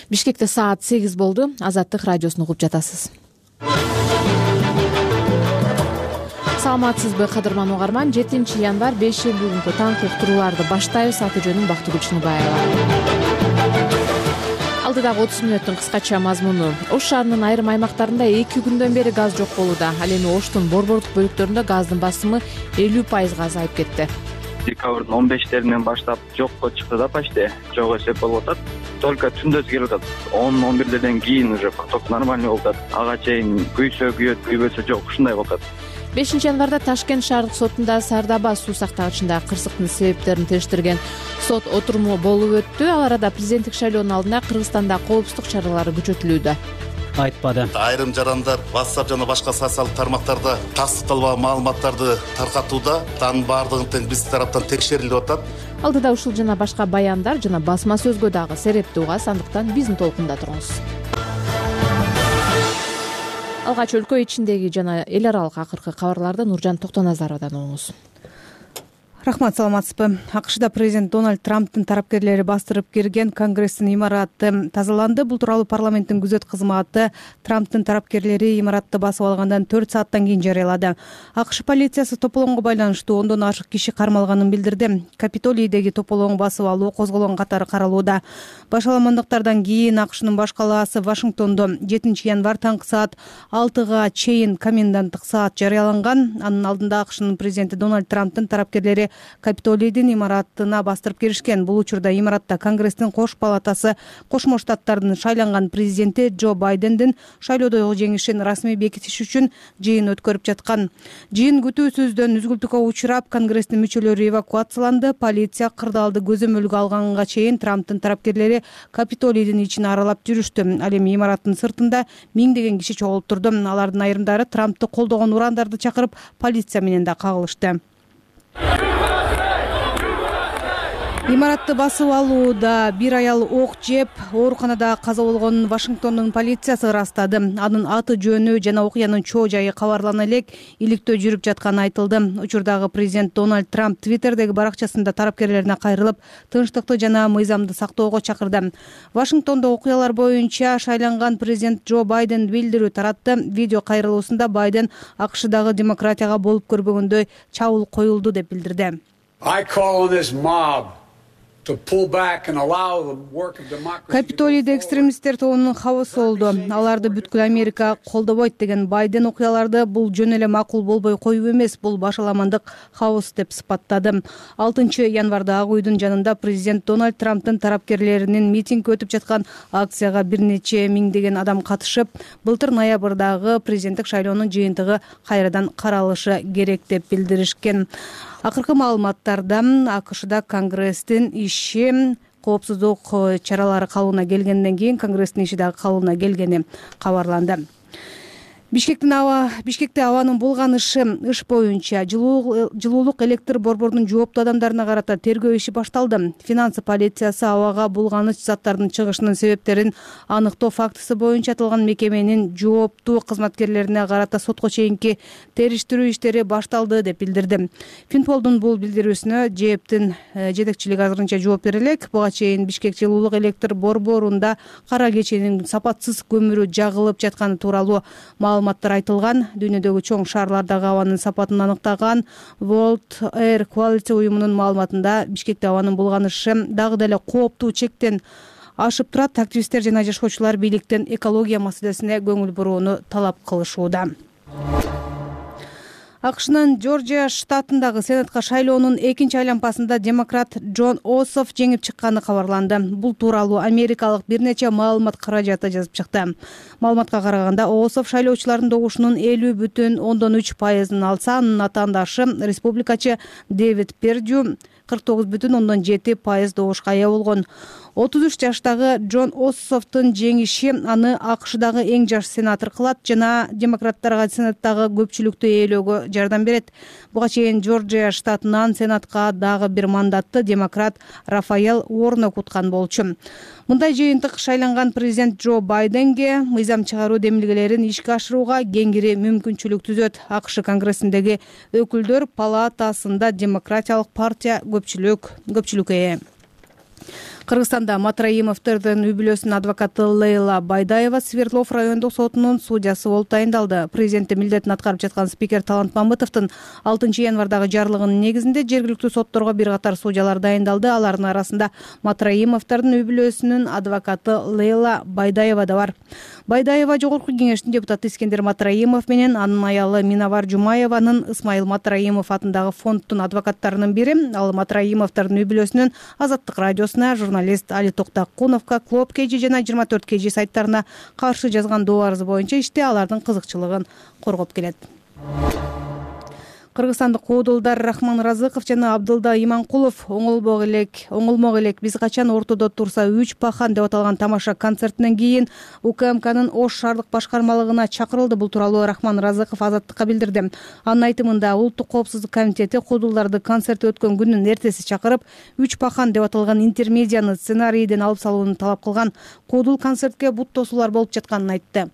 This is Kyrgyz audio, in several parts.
Бишкекте саат 8 болду. Азаттык радиосун угуп жатасыз. Саламатсызбы кадырман угарман. 7 январь 5 бүгүнкү таңкы уктурууларды баштайбыз. Аты жөнүм Бактыгүл Чыныбаева. Алдыдагы 30 мүнөттүн кыскача мазмуну. Ош шаарынын айрым аймактарында 2 күндөн бери газ жок болууда. Ал эми Оштун борбордук бөлүктөрүндө газдын басымы 50% азайып кетти. Декабрдын 15-теринен баштап жокко чыкты да, почти жок эсеп болуп атат. Только түндөсү келип атат. 10-11ден кийин уже поток нормальный болуп атат. Ага чейин күйсө күйөт, күйбөсө жок, ушундай болуп атат. 5 январда Ташкент шаардык сотунда Сардаба суу сактагычында кырсыктын себептерин териштирген сот отуруму болуп өттү. Ал арада президенттик шайлоонун алдында Кыргызстанда коопсуздук чаралары күчөтүлүүдө. Айтпады. Айрым жарандар WhatsApp жана башка социалдык тармактарда тастыкталбаган маалыматтарды таркатууда, анын баардыгын тең биз тараптан текшерилип атат. Алдыда ушул жана башка баяндар жана басма сөзгө дагы серепти угас, андыктан биздин толкунда туруңуз. Алгач өлкө ичиндеги жана эл аралык акыркы кабарларды Нуржан Токтоназаровдон угуңуз. Рахмат, саламатсызбы. АКШда президент Дональд Трамптын тарапкерлери бастырып кирген Конгресстин имараты тазаланды. Бул тууралуу парламенттин күзөт кызматы Трамптын тарапкерлери имаратты басып алгандан 4 сааттан кийин жарыялады. АКШ полициясы тополоңго байланыштуу 10дон ашык киши кармалганын билдирди. Капитолийдеги тополоң басып алуу козголгон катары каралууда. Башаламандыктардан кийин АКШнын баш калаасы Вашингтондо 7 январь таңкы саат 6 чейин коменданттык саат жарыяланган. Анын алдында АКШнын президенти Дональд Трамптын тарапкерлери Капитолийдин имаратына бастырып киришкен. Бул учурда имаратта Конгресстин кош палатасы Кошмо Штаттардын шайланган президенти Джо Байдендин шайлоодогу жеңишин расмий бекитиш үчүн жыйын өткөрүп жаткан. Жыйын күтүүсүздөн үзгүлтүккө учурап, Конгресстин мүчөлөрү эвакуацияланды. Полиция кырдаалды көзөмөлгө алганга чейин Трамптын тарапкерлери Капитолийдин ичин аралап жүрүштү. Ал эми имараттын сыртында миңдеген киши чогулуп турду. Алардын айрымдары Трамптты колдогон урандарды чакырып, полиция менен да кагылышты. Имаратты басып алууда бир аял ок жеп, ооруканада каза болгонун Вашингтондун полициясы ырастады. Анын аты жөнү жана окуянын чоо жайы кабарлана элек иликтөө жүрүп жатканы айтылды. Учурдагы президент Дональд Трамп Твиттердеги баракчасында тарапкерлерине кайрылып, тынчтыкты жана мыйзамды сактоого чакырды. Вашингтондо окуялар боюнча шайланган президент Джо Байден билдирүү таратты. Видео кайрылуусунда Байден АКШдагы демократияга болуп көрбөгөндөй чабуул коюлду деп билдирди. Капитолийде экстремисттер тобунун хабысы болду. Аларды бүткүл Америка колдобойт деген Байден окуяларды бул жөн эле макул болбой коюу эмес, бул башаламандык хабыс деп сыпаттады. 6 январда Ак үйдүн жанында президент Дональд Трамптын тарапкерлеринин митинги өтүп жаткан акцияга бир нече миңдеген адам катышып, былтыр ноябрдагы президенттик шайлоонун жыйынтыгы кайрадан каралышы керек деп билдиришкен. Акыркы маалыматтарда АКШда Конгресстин иши коопсуздук чаралары калыбына келгенден кийин Конгресстин иши дагы калыбына келгени кабарланды. Бишкекте абанын булганышы ыш боюнча жылуулук электр борборунун жооптуу адамдарына карата тергөө иши башталды. Финансы полициясы абага булганыч заттардын чыгышынын себептерин аныктоо фактысы боюнча аталган мекеменин жооптуу кызматкерлерине карата сотко чейинки териштирүү иштери башталды деп билдирди. Финполдун бул билдирүүсүнө ЖЭБтин жетекчилиги азырынча жооп бере элек. Буга чейин Бишкек жылуулук электр борборунда кара кеченин сапатсыз көмүрү жагылып жатканы тууралуу маалыматтар айтылган. Дүйнөдөгү чоң шаарлардагы абанын сапатын аныктаган World Air Quality уюмунун маалыматында Бишкекте абанын булганышы дагы деле кооптуу чектен ашып турат. Активисттер жана жашоочулар бийликтен экология маселесине көңүл бурууну талап кылышууда. АКШнын Жоржия штатындагы сенатка шайлоонун 2-айлампасында демократ Джон Ософф жеңип чыкканы кабарланды. Бул тууралуу америкалык бир нече маалымат каражаты жазып чыкты. Маалыматка караганда, Ософф шайлоочулардын добушунун 50,3% алса, анын атаандашы республикачы Дэвид Пердью 49,7% добушка ээ болгон. 33 жаштагы Джон Ософфтун жеңиши аны АКШдагы эң жаш сенатор кылат жана демократтарга сенаттагы көпчүлүктү ээлөөгө жардам берет. Буга чейин Жоржия штатынан сенатка дагы бир мандатты демократ Рафаэл Уорнок уткан болчу. Мындай жыйынтык шайланган президент Джо Байденге мыйзам чыгаруу демилгелерин ишке ашырууга кеңири мүмкүнчүлүк түзөт. АКШ Конгрессиндеги өкүлдөр палатасында демократиялык партия көпчүлүк ээ. Кыргызстанда Матраимовдордун үй-бүлөсүнүн адвокаты Лейла Байдаева Свердлов райондук сотунун судьясы болуп тайындалды. Президенттин милдетин аткарып жаткан спикер Талант Мамытовдун 6 январдагы жарлыгынын негизинде жергиликтүү сотторго бир катар судьялар дайындалды. Алардын арасында Матраимовдордун үй-бүлөсүнүн адвокаты Лейла Байдаева да бар. Байдаева Жогорку кеңештин депутаты Искендер Матраимов менен анын аялы Минавар Жумаеванын Исмайыл Матраимов атындагы фонддун адвокаттарынын бири. Ал Матраимовдордун үй-бүлөсүнүн Азаттык радиосуна, журналист Али Токтакуновго, Клоп KG жана 24 KG сайттарына каршы жазган доо арызы боюнча иште алардын кызыкчылыгын коргоп келет. Кыргызстандык коодулдар Рахман Разыков жана Абдылда Иманкулов оңолмок элек биз качан ортодо турса 3 пахан деп аталган тамаша концертинен кийин УКМКнын Ош шаардык башкармалыгына чакырылды. Бул тууралуу Рахман Разыков Азаттыкка билдирди. Анын айтымында Улуттук коопсуздук комитети коодулдарды концерт өткөн күндүн эртеси чакырып 3 пахан деп аталган интермедияны сценарийден алып салууну талап кылган. Коодул концертке бут тосуулар болуп жатканын айтты.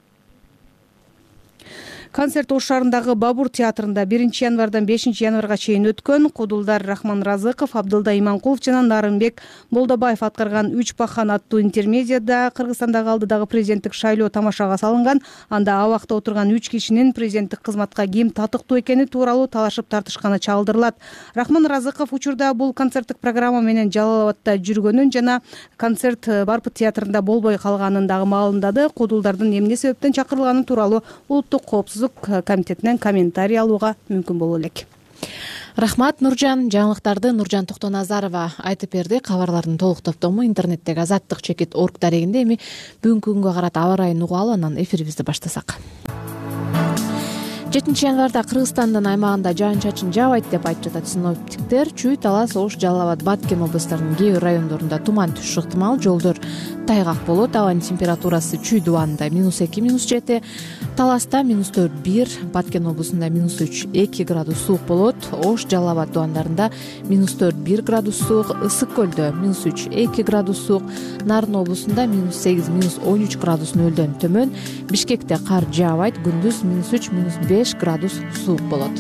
Концерт Ош шаарындагы Бабур театрында 1 январдан 5 январга чейин өткөн. Коодулдар Рахман Разыков, Абдылда Иманкулов жана Нарымбек Болдобаев аткарган 3 пахан аттуу интермедияда Кыргызстандагы алдыдагы президенттик шайлоо тамашага салынган. Анда абакта отурган 3 кишинин президенттик кызматка ким татыктуу экени тууралуу талашып тартышканы чагылдырылат. Рахман Разыков учурда бул концерттик программа менен Жалал Абадта жүргөнүн жана концерт Барпыт театрында болбой калганын дагы маалымдады. Коодулдардын эмне себептен чакырылганы тууралуу Улуттук коопсуздук комитетинен комментарий алууга мүмкүн боло элек. Рахмат Нуржан. Жаңылыктарды Нуржан Токтоназарова айтып берди. Кабарлардын толук топтому интернеттеги azattik.org дарегинде. Эми бүгүнкү күнгө карата аба ырайын угалы, анан эфирибизди баштасак. 7 январда Кыргызстандын аймагында жаан-чачын жаабайт деп айтып жатат синоптиктер. Чүй, Талас, Ош, Жалал Абад, Баткен областарынын кээ бир райондорунда туман түшүш ыктымал, жолдор тайгак болот. Абанын температурасы Чүй дубанында -2, -7, Таласта -4-1, Баткен облусунда -3-2 градус суук болот. Ош, Жалал Абад дубандарында -4-1 градус суук, Ысык көлдө -3-2 градус суук, Нарын облусунда -8, -13 градус нөлдөн төмөн. Бишкекте кар жаабайт, күндүз -3, -5 градус суук болот.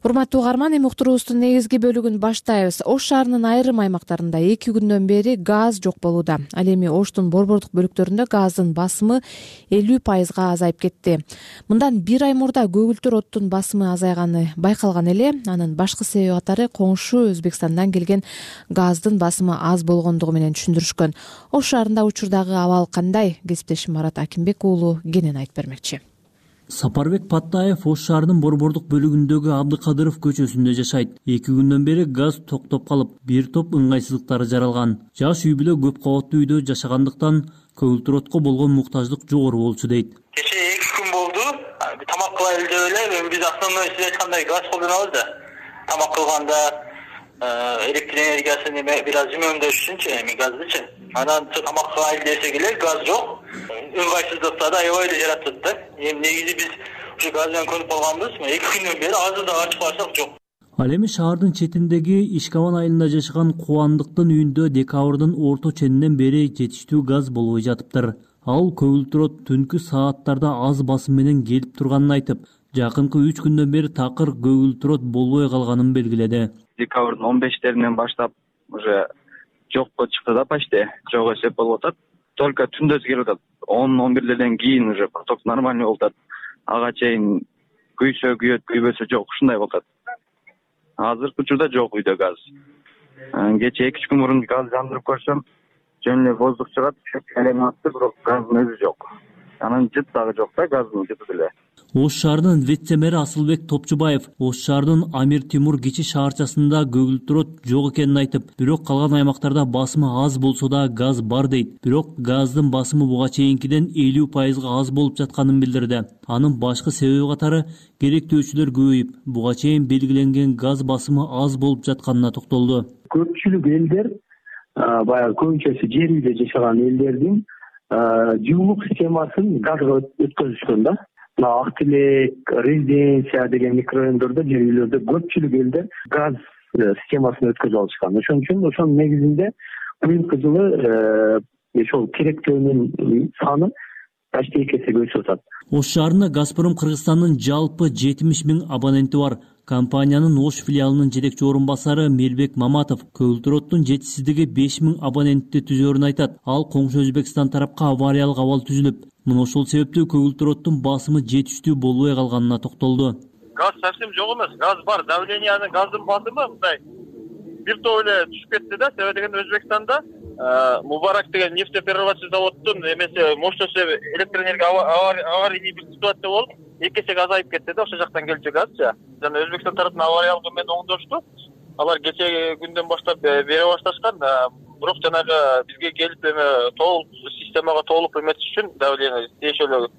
Урматтуу угарман, эми уктуруубуздун негизги бөлүгүн баштайбыз. Ош шаарынын айрым аймактарында 2 күндөн бери газ жок болууда. Ал эми Оштун борбордук бөлүктөрүндө газдын басымы 50% азайып кетти. Мындан 1 ай мурда көгүлтүр оттун басымы азайганы байкалган эле. Анын башкы себеби катары коңшу Өзбекстандан келген газдын басымы аз болгондугу менен түшүндүрүшкөн. Ош шаарында учурдагы абал кандай? Кесиптешим Марат Акимбек уулу кенен айтып бермекчи. Сапарбек Паттаев Ош шаарынын борбордук бөлүгүндөгү Абдыкадыров көчөсүндө жашайт. 2 күндөн бери газ токтоп калып, бир топ ыңгайсыздыктар жаралган. Жаш үй бүлө көп кабаттуу үйдө жашагандыктан көгүлтүр отко болгон муктаждык жогору болчу дейт. Кече 2 күн болду. Тамак кылайлы деп эле, биз основной сиз айткандай газ колдонобуз да. Тамак кылганда электр энергиясын бир аз үнөмдөш үчүнчү, эми газдычы. Анан тамак кылайлы десек эле газ жок. Ыңгайсыздыкта да аябай эле жаратат да. Эми негизи биз ушу газ менен көнүп калганбыз. 2 күндөн бери азыр да ачып карасак жок. Ал эми шаардын четиндеги Ишкабан айылында жашаган Кубандыктын үйүндө декабрдын орто ченинен бери жетиштүү газ болбой жатыптыр. Ал көгүлтүр от түнкү сааттарда аз басым менен келип турганын айтып, жакынкы 3 күндөн бери такыр көгүлтүр от болбой калганын белгиледи. Декабрдын 15-теринен баштап уже жокко чыкты да, почти жок эсеп болуп атат. Только түндөз келип атат. 10-11ден кийин уже поток нормальный болуп атат. Ага чейин күйбөсө жок, ушундай болуп атат. Азыркы учурда жок үйдө газ. Кече 2 күн мурун газ жандырып көрсөм, жөн эле воздух чыгат, элем атты, бирок газдын өзү жок. Анан жыт дагы жок да, газдын жыты деле. Ош шаарынын вице-мэри Асылбек Топчубаев Ош шаарынын Амир Тимур кичи шаарчасында көгүлтүр от жок экенин айтып, бирок калган аймактарда басымы аз болсо да газ бар дейт. Бирок газдын басымы буга чейинкиден 50% аз болуп жатканын билдирди. Анын башкы себеби катары керектөөчүлөр көбөйүп, буга чейин белгиленген газ басымы аз болуп жатканына токтолду. Көпчүлүк элдер, баягы көбүнчөсү жер үйдө жашаган элдердин жылуулук системасын газга өткөзүшкөн да. Ак Тилек, Резиденция деген микрорайондордо, жер үйлөрдө көпчүлүк элдер газ системасын өткөзүп алышкан. Ошон үчүн ошонун негизинде быйылкы жылы ошол керектөөнүн саны почти 2 эсеге өсүп атат. Ош шаарында Газпром Кыргызстандын жалпы 70 000 абоненти бар. Компаниянын Ош филиалынын жетекчи орун басары Мелбек Маматов көгүлтүрөттүн жетишсиздиги 5 000 абонентти түзөрүн айтат. Ал коңшу Өзбекстан тарапка авариялык абал түзүлүп, мына ошол себептүү көгүлтүрөттүн басымы жетиштүү болбой калганына токтолду. Газ совсем жок эмес, газ бар, давлениянын газдын басымы мындай бир топ эле түшүп кетти да. Себеби дегенде Өзбекстанда Мубарак деген нефтеперерабатывающий заводдун эмеси мощносту электр энергия аварийный бир ситуация болуп 2 эсеге азайып кетти да, ошол жактан келчү газчы. Жана Өзбекстан тараптын авариялык менен оңдошту. Алар кечеги күндөн баштап бере башташкан, бирок жанагы бизге келип толук системага толук эметиш үчүн давление тиешелүү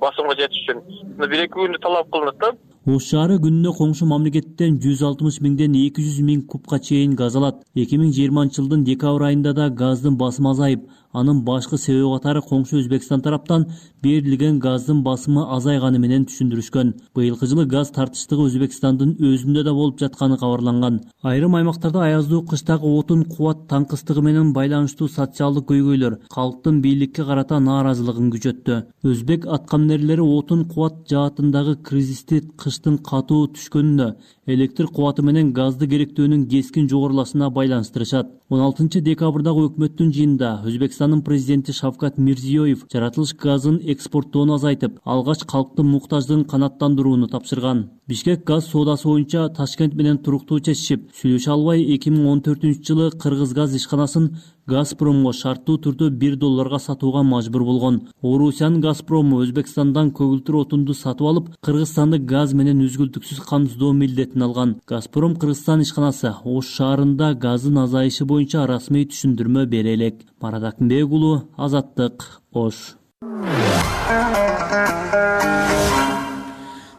басымга жетиш үчүн 1-2 күндө талап кылынат да. Ош шаары күнүнө коңшу мамлекеттен 160 000ден 200 000 кубка чейин газ алат. 2020-жылдын декабрь айында да газдын басымы азайып, анын башкы себеби катары коңшу Өзбекстан тараптан берилген газдын басымы азайганы менен түшүндүрүшкөн. Быйылкы жылы газ тартыштыгы Өзбекстандын өзүндө да болуп жатканы кабарланган. Айрым аймактарда аяздуу кыштагы отун кубат таңкыстыгы менен байланыштуу социалдык көйгөйлөр калктын бийликке карата нааразылыгын күчөттү. Өзбек аткаминерлери отун кубат жаатындагы кризисти кыштын катуу түшкөнүнө, электр кубаты менен газды керектөөнүн кескин жогорулашына байланыштырышат. 16 декабрдагы өкмөттүн жыйынында Өзбекстандын президенти Шавкат Мирзиёев жаратылыш газын экспорттоону азайтып, алгач калктын муктаждыгын канааттандырууну тапшырган. Бишкек газ соодасы боюнча Ташкент менен туруктуу чечишип, сүйлөшө албай 2014-жылы Кыргыз газ ишканасын Газпромго шарттуу түрдө $1 сатууга мажбур болгон. Орусиянын Газпрому Өзбекстандан көгүлтүр отунду сатып алып, Кыргызстанды газ менен үзгүлтүксүз камсыздоо милдетин алган. Газпром Кыргызстан ишканасы Ош шаарында газдын азайышы боюнча расмий түшүндүрмө бере элек. Марат Акынбек уулу, Азаттык, Ош.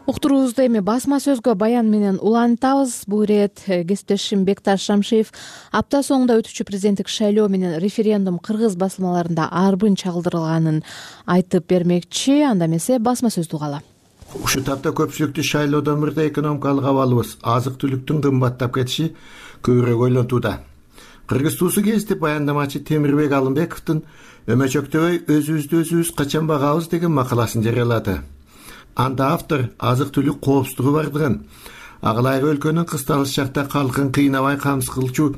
Уктуруубузду эми басма сөзгө баян менен улантабыз. Бул ирет кесиптешим Бекташ Шамшиев апта соңунда өтүүчү президенттик шайлоо менен референдум кыргыз басылмаларында арбын чалдырылганын айтып бермекчи. Анда эмесе басма сөздү угалы. Ушул тапта көпчүлүктү шайлоодон мурда экономикалык абалыбыз, азык-түлүктүн кымбаттап кетиши көбүрөөк ойлонтууда. Кыргыз туусу гезити баяндамачы Темирбек Алымбековдун өмөчөктөбөй өзүбүздү өзүбүз качан багабыз деген макаласын жарыялады. Анда автор азык-түлүк коопсуздугу бардыгын, агылайгы өлкөнүн кысталыш шакта калкын кыйнабай камсыз кылчу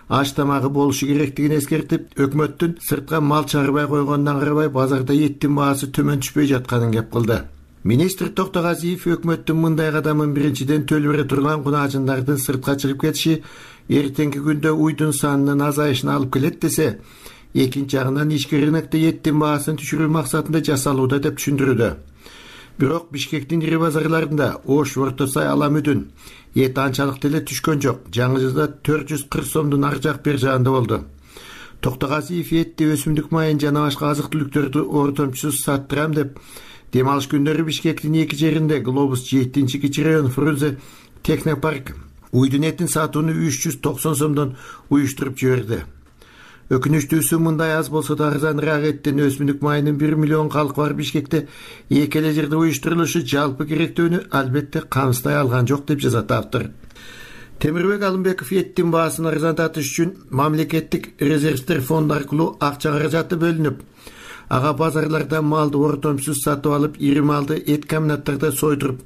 аш тамагы болушу керектигин эскертип, өкмөттүн сыртка мал чыгарбай койгонуна карабай базарда еттин баасы төмөн түшпөй жатканын кеп кылды. Министр Токтогазиев өкмөттүн мындай кадамын биринчиден төлөп бере турган кунаажындардын сыртка чыгып кетиши эртеңки күндө уйдун санынын азайышына алып келет десе, экинчи жагынан ички рынокто еттин баасын түшүрүү максатында жасалууда деп түшүндүрүүдө. Бирок Бишкектин ири базарларында Ош, Орто Сай, Аламүдүн эт анчалык деле түшкөн жок. Жаңы жылда 440 сомдун ар жак бер жагында болду. Токтогазиев этти, өсүмдүк майын жана башка азык-түлүктөрдү ортомчусуз саттырам деп дем алыш күндөрү Бишкектин эки жеринде Глобус 7-чи кичи район Фрунзе Технопарк уйдун этин сатууну 390 сомдон уюштуруп жиберди. Өкүнүчтүүсү мындай аз болсо да арзаныраак эттен өсүмдүк майынын 1 миллион калкы бар Бишкекте эки эле жерде уюштурулушу жалпы керектөөнү албетте камсыздай алган жок деп жазат автор. Темирбек Алымбеков эттин баасын арзандатыш үчүн мамлекеттик резервдер фонду аркылуу акча каражаты бөлүнүп, ага базарларда малды ортомсуз сатып алып, ири малды эт комбинаттарда сойдуруп,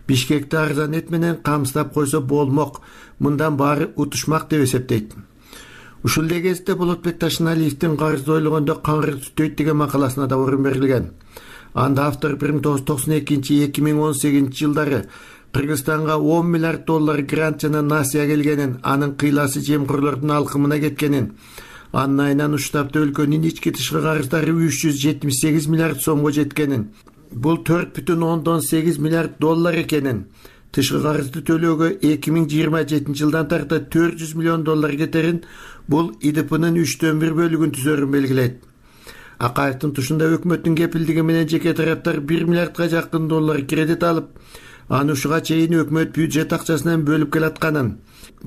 Бишкекти арзан эт менен камсыздап койсо болмок, мындан баары утушмак деп эсептейт. Ушул эле кезде Болотбек Ташыналиевдин карызды ойлогондо каңгыр түтөйт деген макаласына да орун берилген. Анда автор 1992-2018 жылдары Кыргызстанга $10 миллиард грант жана насыя келгенин, анын кыйласы жемкорлордун алкымына кеткенин, анын айынан уштапта өлкөнүн ички тышкы карыздары $378 миллиард сомго жеткенин, бул $4,8 миллиард экенин, тышкы карызды төлөөгө 2027 жылдан тарта $400 миллион кетерин, бул ИДПнын 1/3 бөлүгүн түзөрүн белгилейт. Акаевдин тушунда өкмөттүн кепилдиги менен жеке тараптар $1 миллиардга жакын кредит алып, аны ушуга чейин өкмөт бюджет акчасынан бөлүп келатканын,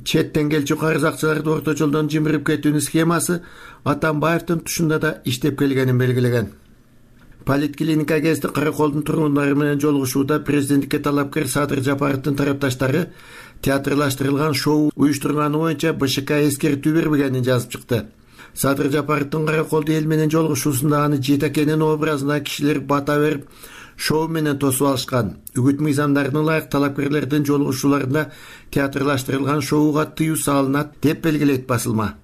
четтен келчү карыз акчаларды орто жолдон жимирип кетүүнүн схемасы Атамбаевдин тушунда да иштеп келгенин белгилеген. Политклиника гезити Караколдун тургундары менен жолугушууда президенттикке талапкер Садыр Жапаровдун тарапташтары театрлаштырылган шоу уюштурганы боюнча БШК эскертүү бербегенин жазып чыкты. Садыр Жапаровдун Караколду эл менен жолугушуусунда аны жетекенин образына кишилер бата берип шоу менен тосуп алышкан. Үгүт мыйзамдарына ылайык талапкерлердин жолугушууларында театрлаштырылган шоуга тыюу салынат деп белгилейт басылма.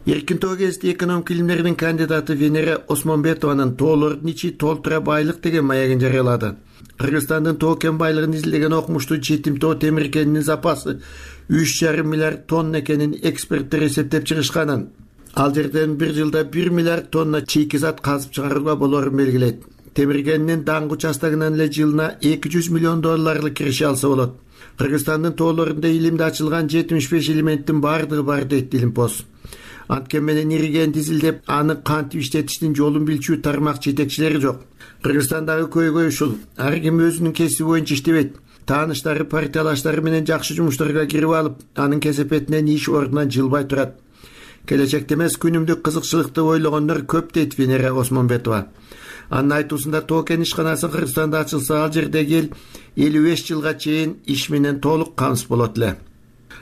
Эркин тоо гезити экономик илимдердин кандидаты Венера Осмонбетованын тоолордун ичи толтура байлык деген маягын жарыялады. Кыргызстандын тоо кен байлыгын изилдеген окумуштуу жетим тоо темир кенинин запасы 3,5 миллиард тонна экенин эксперттер эсептеп чыгышканын, ал жерден бир жылда 1 миллиард тонна чийки зат казып чыгарууга болорун белгилейт. Темир кенинин даңгы участогунан эле жылына $200 миллион киреше алса болот. Кыргызстандын тоолорунда илимде ачылган 75 элементтин баардыгы бар дейт Илимпоз. Анткен менен иригенди изилдеп, аны кантип иштетиштин жолун билчү тармак жетекчилери жок. Кыргызстандагы көйгөй ушул. Ар ким өзүнүн кесиби боюнча иштебейт. Тааныштары, партиялаштары менен жакшы жумуштарга кирип алып, анын кесепетинен иш ордунан жылбай турат. Келечекте эмес, күнүмдүк кызыкчылыкты ойлогондор көп дейт Венера Осмонбетова. Анын айтуусунда тоо кен ишканасы Кыргызстанда ачылса, ал жердеги эл 55 жылга чейин иш менен толук камсыз болот эле.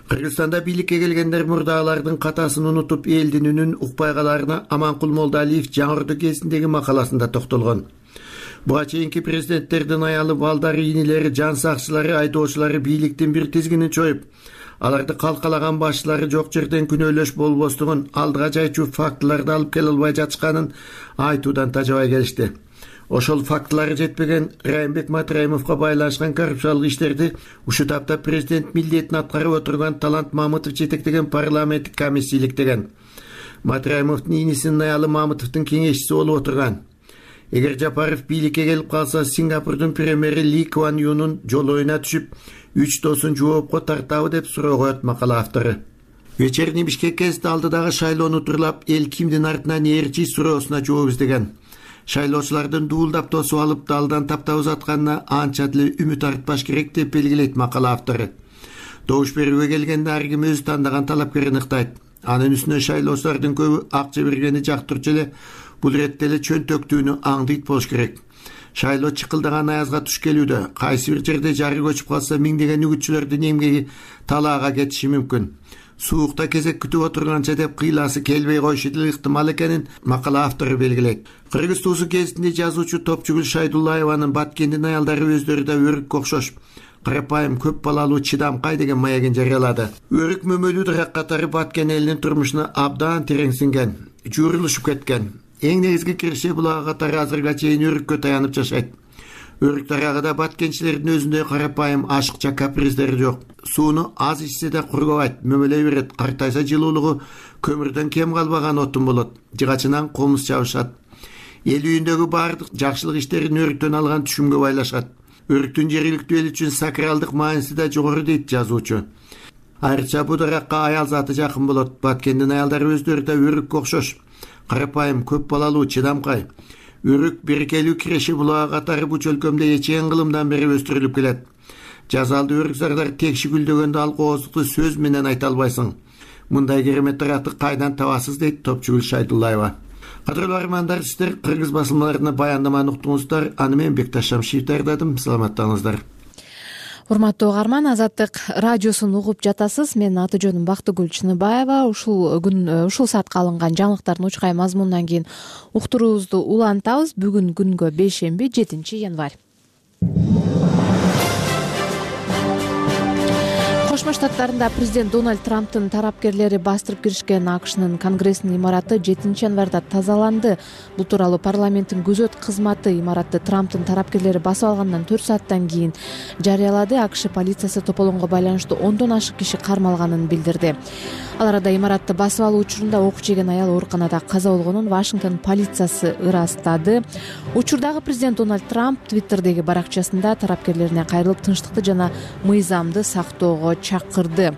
Кыргызстанда бийликке келгендер мурда алардын катасын унутуп, элдин үнүн укпай калаарына Аманкул Молдалиев Жаңы Орду кезиндеги макаласында токтолгон. Буга чейинки президенттердин аялы, балдары, инилери, жан сакчылары, айдоочулары бийликтин бир тизгинин чоюп, аларды калкалаган башчылары жок жерден күнөөлөш болбостугун, алдыга жайчу фактыларды алып келе албай жатышканын айтуудан тажабай келишти. Ошол фактылары жетпеген Райымбек Матраимовго байланышкан коррупциялык иштерди ушул тапта президент милдетин аткарып отурган Талант Мамытов жетектеген парламенттик комиссия иликтеген. Матраимовдун инисинин аялы Мамытовдун кеңешчиси болуп отурган. Эгер Жапаров бийликке келип калса, Сингапурдун премьери Ли Куан Юнун жолоюна түшүп, 3 доосун жоопко тартабы деп суроо коет макала автору. Вечерний Бишкек гезити алдыдагы шайлоону турлап, эл кимдин артынан ээрчи суроосуна жооп издеген. Шайлоочулардын дуулдап тосуп алып далдан таптап узатканына анча деле үмүт артпаш керек деп белгилейт макала автору. Добуш берүүгө келгенде ар ким өзү тандаган талапкерин ыктайт. Анын үстүнө шайлоочулардын көбү акча бергени жактырчу эле, бул иретте эле чөнтөктүүнү аңдыйт болуш керек. Шайлоо чыкылдаган аязга туш келүүдө, кайсы бир жерде жары көчүп калса, миңдеген үгүтчүлөрдүн эмгеги талаага кетиши мүмкүн. Суукта кезек күтүп отурганча деп кыйласы келбей коюшу деле ыктымал экенин макала автору белгилейт. Кыргыз туусу гезитинде жазуучу Топчугүл Шайдуллаеванын Баткендин аялдары өздөрү да өрүккө окшош, карапайым, көп балалуу, чыдамкай деген маягын жарыялады. Өрүк мөмөлүү дарак катары Баткен элинин турмушуна абдан тереңсинген, жуурулушуп кеткен. Эң негизги киреше булагы катары азырга чейин өрүккө таянып жашайт. Өрүк дарагыда баткенчилердин өзүндөй карапайым, ашыкча каприздери жок. Сууну аз ичсе да кургабайт, мөмөлөй берет. Картайса жылуулугу көмүрдөн кем калбаган отун болот. Жыгачынан комуз чабышат. Эл үйүндөгү баардык жакшылык иштерин өрүктөн алган түшүмгө байлашат. Өрүктүн жергиликтүү эл үчүн сакралдык мааниси да жогору дейт жазуучу. Айрыкча бул даракка аял заты жакын болот. Баткендин аялдары өздөрү да өрүккө окшош. Карапайым, көп балалуу, чыдамкай. Өрүк берекелүү киреше булагы катары бу чөлкөмдө эчен кылымдан бери өстүрүлүп келет. Жазалды өрүкзардар текши гүлдөгөндө ал кооздукту сөз менен айта албайсың. Мындай керемет даракты кайдан табасыз дейт Топчугүл Шайдуллаева. Кадырлуу армандар, сиздер Кыргыз басылмаларына баяндаманы уктуңуздар. Аны мен Бекташ Шамшиев даярдадым. Саламаттаңыздар. Урматтуу угарман, Азаттык радиосун угуп жатасыз. Менин аты жөнүм Бактыгүл Чыныбаева. Ушул саатка алынган жаңылыктардын учкай мазмунунан кийин уктуруубузду улантабыз. Бүгүн күнгө бейшемби, 7 январь. Кошмо Штаттарында президент Дональд Трамптын тарапкерлери бастырып киришкен АКШнын Конгрессинин имараты 7 январда тазаланды. Бул тууралуу парламенттин күзөт кызматы имаратты Трамптын тарапкерлери басып алгандан 4 сааттан кийин жарыялады. АКШ полициясы тополоңго байланыштуу 10дон ашык киши кармалганын билдирди. Ал арада имаратты басып алуу учурунда ок жеген аял ооруканада каза болгонун Вашингтон полициясы ырастады. Учурдагы президент Дональд Трамп Твиттердеги баракчасында тарапкерлерине кайрылып, тынчтыкты жана мыйзамды сактоого чакырды.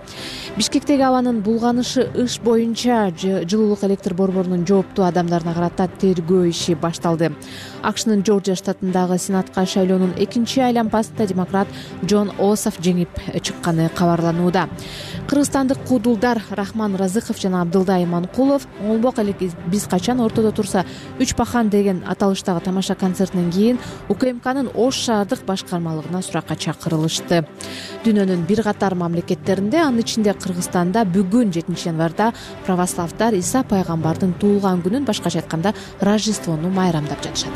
Бишкектеги абанын булганышы иш боюнча жылуулук электр борборунун жооптуу адамдарына карата тергөө иши башталды. АКШнын Жоржия штатындагы сенатка шайлоонун 2-чи айлампасында демократ Джон Ософ жеңип чыкканы кабарланууда. Кыргызстандык куудулдар Рахман Разыков жана Абдылда Иманкулов «Оңбок элек биз качан ортодо турса 3 пахан» деген аталыштагы тамаша концертинен кийин УКМКнын Ош шаардык башкармалыгына суракка чакырылышты. дүйнөнүн бир катар мамлекеттеринде, анын ичинде Кыргызстанда бүгүн 7-январда православдар Иса пайгамбардын туулган күнүн, башкача айтканда Рождествону майрамдап жатышат.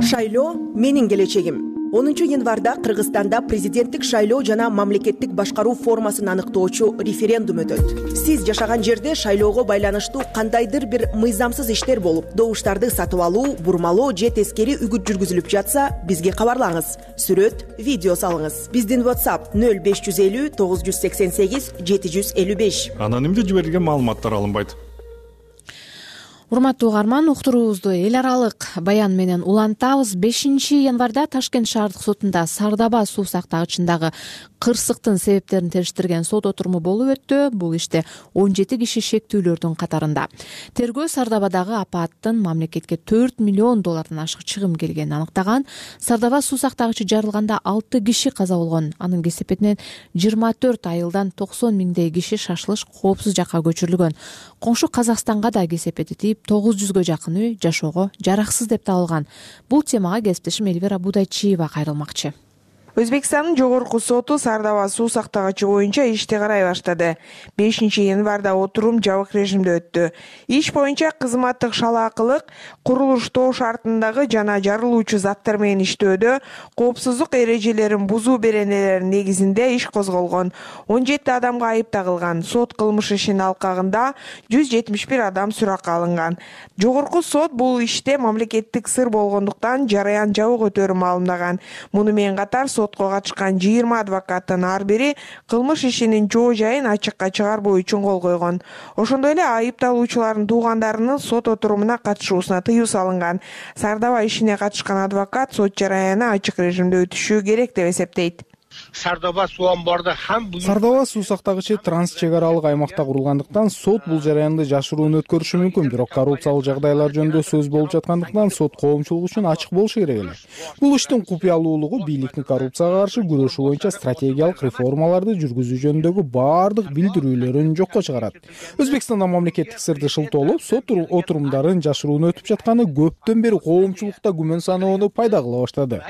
Шайлоо менин келечегим. 10-январда Кыргызстанда президенттик шайлоо жана мамлекеттик башкаруу формасын аныктоочу референдум өтөт. Сиз жашаган жерде шайлоого байланыштуу кандайдыр бир мыйзамсыз иштер болуп, добуштарды сатып алуу, бурмалоо же тескери үгүт жүргүзүлүп жатса, бизге кабарлаңыз. Сүрөт, видео салыңыз. Биздин WhatsApp 0550 988 755. Анонимдүү жиберилген маалыматтар алынбайт. Урматтуу угарман, уктуруубузду эл аралык баян менен улантабыз. 5-январда Ташкент шаардык сотунда Сардаба суу сактагычындагы кырсыктын себептерин териштирген сот отуруму болуп өттү. Бул иште 17 киши шектүүлөрдүн катарында. Тергөө Сардабадагы апаттын мамлекетке $4 миллион ашык чыгым келгенин аныктаган. Сардаба суу сактагычы жарылганда 6 киши каза болгон. Анын кесепетинен 24 айылдан 90 миңдей киши шашылыш коопсуз жакка көчүрүлгөн. Коңшу Казакстанга да кесепети тийип 900гө жакын үй жашоого жараксыз деп табылган. Бул темага кесиптешим Эльвира Будайчиева кайрылмакчы. Өзбекстандын жогорку соту Сардава суу сактагычы боюнча ишти карай баштады. 5-январда отурум жабык режимде өттү. Иш боюнча кызматтык шалаакылык, курулуштоо шартындагы жана жарылуучу заттар менен иштөөдө коопсуздук эрежелерин бузуу беренелеринин негизинде иш козголгон. 17 адамга айып тагылган. Сот кылмыш ишинин алкагында 171 адам суракка алынган. Жогорку сот бул иште мамлекеттик сыр болгондуктан жараян жабык өтөөрүн маалымдаган. Муну менен катар сотко катышкан 20 адвокаттын ар бири кылмыш ишинин жоо жайын ачыкка чыгарбоо үчүн кол койгон. Ошондой эле айыпталуучулардын туугандарынын сот отурумуна катышуусуна тыюу салынган. Сардаба ишине катышкан адвокат сот жараяны ачык режимде өтүшү керек деп эсептейт. Сардaba суу сактагычы транс чек аралык аймакта курулгандыктан сот бул жараянды жашыруун өткөрүшү мүмкүн, бирок коррупциялык жагдайлар жөнүндө сөз болуп жаткандыктан сот коомчулук үчүн ачык болушу керек эле. Бул иштин купуялуулугу бийликтин коррупцияга каршы күрөшүү боюнча стратегиялык реформаларды жүргүзүү жөнүндөгү баардык билдирүүлөрүн жокко чыгарат. Өзбекстанда мамлекеттик сырды шылтоолоп, сот отурумдарын жашыруун өтүп жатканы көптөн бери коомчулукта күмөн саноону пайда кыла баштады,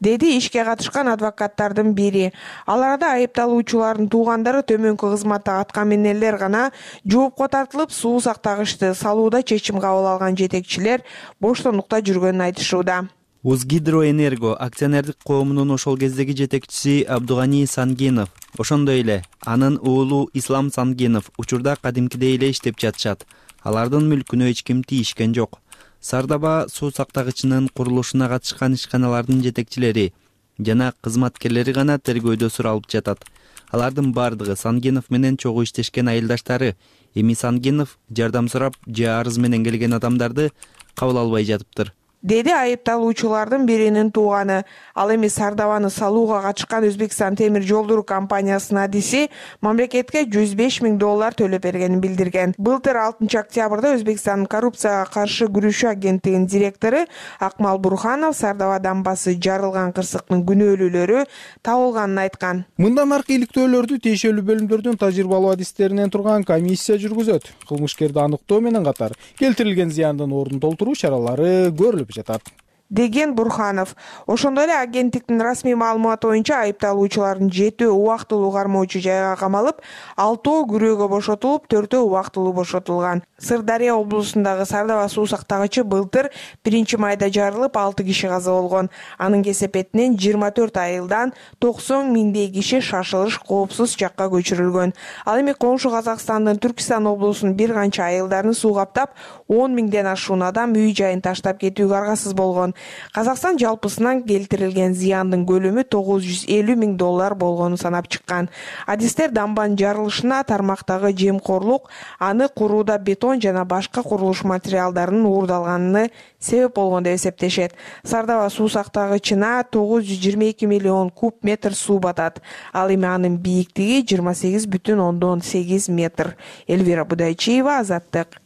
деди ишке катышкан адвокаттардын бири. Аларда айыпталуучулардын туугандары төмөнкү кызматта аткаминерлер гана жоопко тартылып, суу сактагычты салууда чечим кабыл алган жетекчилер боштондукта жүргөнүн айтышууда. Узгидроэнерго акционердик коомунун ошол кездеги жетекчиси Абдугани Сангенов, ошондой эле анын уулу Ислам Сангенов учурда кадимкидей эле иштеп жатышат. Алардын мүлкүнө эч ким тийишкен жок. Сардаба суу сактагычынын курулушуна катышкан ишканалардын жетекчилери жана кызматкерлери гана тергөөдө суралып жатат. Алардын бардыгы Сангенов менен чогуу иштешкен айылдаштары. Эми Сангенов жардам сурап же арыз менен келген адамдарды кабыл албай жатыптыр, деди айыпталуучулардын биринин тууганы. Ал эми Сардабаны салууга катышкан Өзбекстан темир жолдору компаниясынын адиси мамлекетке $105 миң төлөп бергенин билдирген. Былтыр 6 октябрда Өзбекстандын коррупцияга каршы күрөшүү агенттигинин директору Акмал Бурханов Сардабадан басы жарылган кырсыктын күнөөлүүлөрү табылганын айткан. Мындан аркы иликтөөлөрдү тиешелүү бөлүмдөрдүн тажрыйбалуу адистеринен турган комиссия жүргүзөт. Кылмышкерди аныктоо менен катар келтирилген зыяндын ордун толтуруу чаралары көрүлүп жатат, деген Бурханов. Ошондой эле агенттиктин расмий маалыматы боюнча айыпталуучулардын 7 убактылуу кармоочу жайга камалып, 6 күрөөгө бошотулуп, 4 убактылуу бошотулган. Сырдария облусундагы Сардава суу сактагычы былтыр 1-майда жарылып 6 киши каза болгон. Анын кесепетинен 24 айылдан 90 миңдей киши шашылыш коопсуз жакка көчүрүлгөн. Ал эми коңшу Казакстандын Түркистан облусунун бир канча айылдарын суу каптап, 10 миңден ашуун адам үй жайын таштап кетүүгө аргасыз болгон. Казакстан жалпысынан келтирилген зыяндын көлөмү $950 миң болгонун санап чыккан. Адистер дамбанын жарылышына тармактагы жемкорлук, аны курууда бетон жана башка курулуш материалдарынын уурдалганына себеп болгон деп эсептешет. Сардава суу сактагычына 922 миллион куб метр суу батат. Ал эми анын бийиктиги 28,8 метр. Эльвира Будайчиева, Азаттык.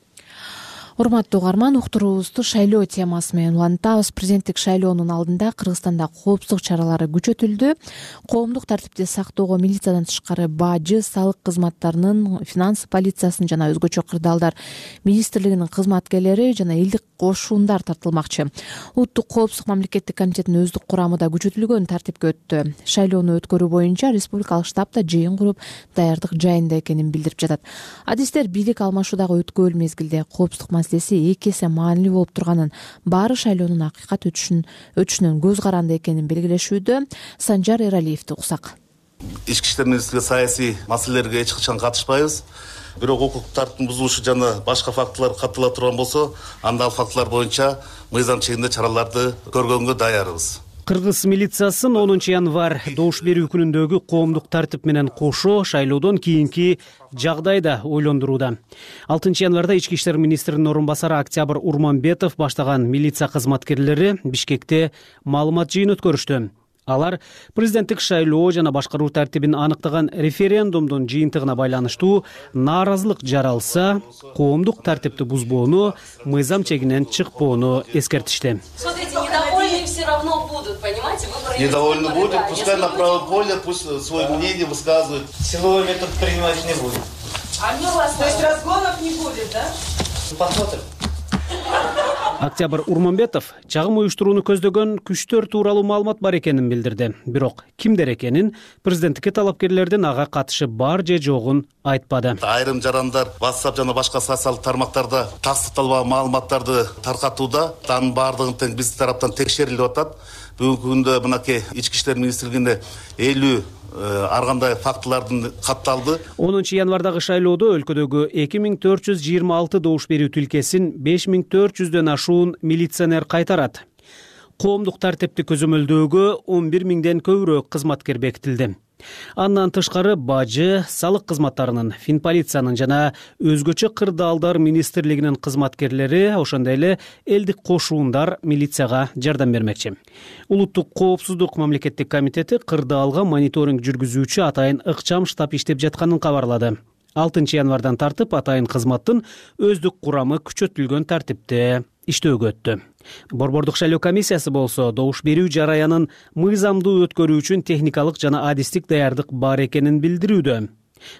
Урматтуу угарман, уктуруубузду шайлоо темасы менен улантабыз. Президенттик шайлоонун алдында Кыргызстанда коопсуздук чаралары күчөтүлдү. Коомдук тартипти сактоого милициядан тышкары бажы, салык кызматтарынын, финанс полициясынын жана өзгөчө кырдаалдар министрлигинин кызматкерлери жана элдик кошундар тартылмакчы. Улуттук коопсуздук мамлекеттик комитетинин өздүк курамы да күчөтүлгөн тартипке өттү. Шайлоону өткөрүү боюнча республикалык штаб да жыйын куруп, даярдык жайында экенин билдирип жатат. Адистер бийлик алмашуудагы өткөөл мезгилде коопсуздук маселеси эки эсе маанилүү болуп турганын, баары шайлоонун акыйкат өтүшүнөн көз каранды экенин белгилешүүдө. Санжар Эралиевди уксак. Ички иштер министрлиги саясий маселелерге эч качан катышпайбыз. Бирок укук тартиптин бузулушу жана башка фактылар каттала турган болсо, анда ал фактылар боюнча мыйзам чегинде чараларды көргөнгө даярбыз. Кыргыз милициясын 10 январь добуш берүү күнүндөгү коомдук тартип менен кошо шайлоодон кийинки жагдайда ойлондурууда. 6 январда ички иштер министринин орун басары Октябрь Урманбетов баштаган милиция кызматкерлери Бишкекте маалымат жыйын өткөрүштү. Алар президенттик шайлоо жана башкаруу тартибин аныктаган референдумдун жыйынтыгына байланыштуу нааразылык жаралса, коомдук тартипти бузбоону, мыйзам чегинен чыкпоону эскертишти. Недовольные все равно будут, понимаете? Недовольны будут, пускай на правом поле, пусть свое мнение высказывают. Силовой метод принимать не будет. То есть разгонов не будет, да? Посмотрим. Октябрь Урманбетов чагым уюштурууну көздөгөн күчтөр тууралуу маалымат бар экенин билдирди. Бирок кимдер экенин, президенттикке талапкерлердин ага катышы бар же жогун айтпады. Айрым жарандар WhatsApp жана башка социалдык тармактарда тастыкталбаган маалыматтарды таркатууда, анын баардыгын тең биз тараптан текшерилип атат. Бүгүнкү күндө мынакей ички иштер министрлигинде 50 ар кандай фактылардын катталды. 10 январдагы шайлоодо өлкөдөгү 2426 добуш берүү тилкесин 5400дөн ашуун милиционер кайтарат. Коомдук тартипти көзөмөлдөөгө 11 миңден көбүрөөк кызматкер бекитилди. Андан тышкары бажы, салык кызматтарынын, финполициянын жана өзгөчө кырдаалдар министрлигинин кызматкерлери, ошондой эле элдик кошуундар милицияга жардам бермекчи. Улуттук коопсуздук мамлекеттик комитети кырдаалга мониторинг жүргүзүүчү атайын ыкчам штаб иштеп жатканын кабарлады. 6 январдан тартып атайын кызматтын өздүк курамы күчөтүлгөн тартипте иштөөгө өттү. Борбордук шайлоо комиссиясы болсо добуш берүү жараянын мыйзамдуу өткөрүү үчүн техникалык жана адистик даярдык бар экенин билдирүүдө.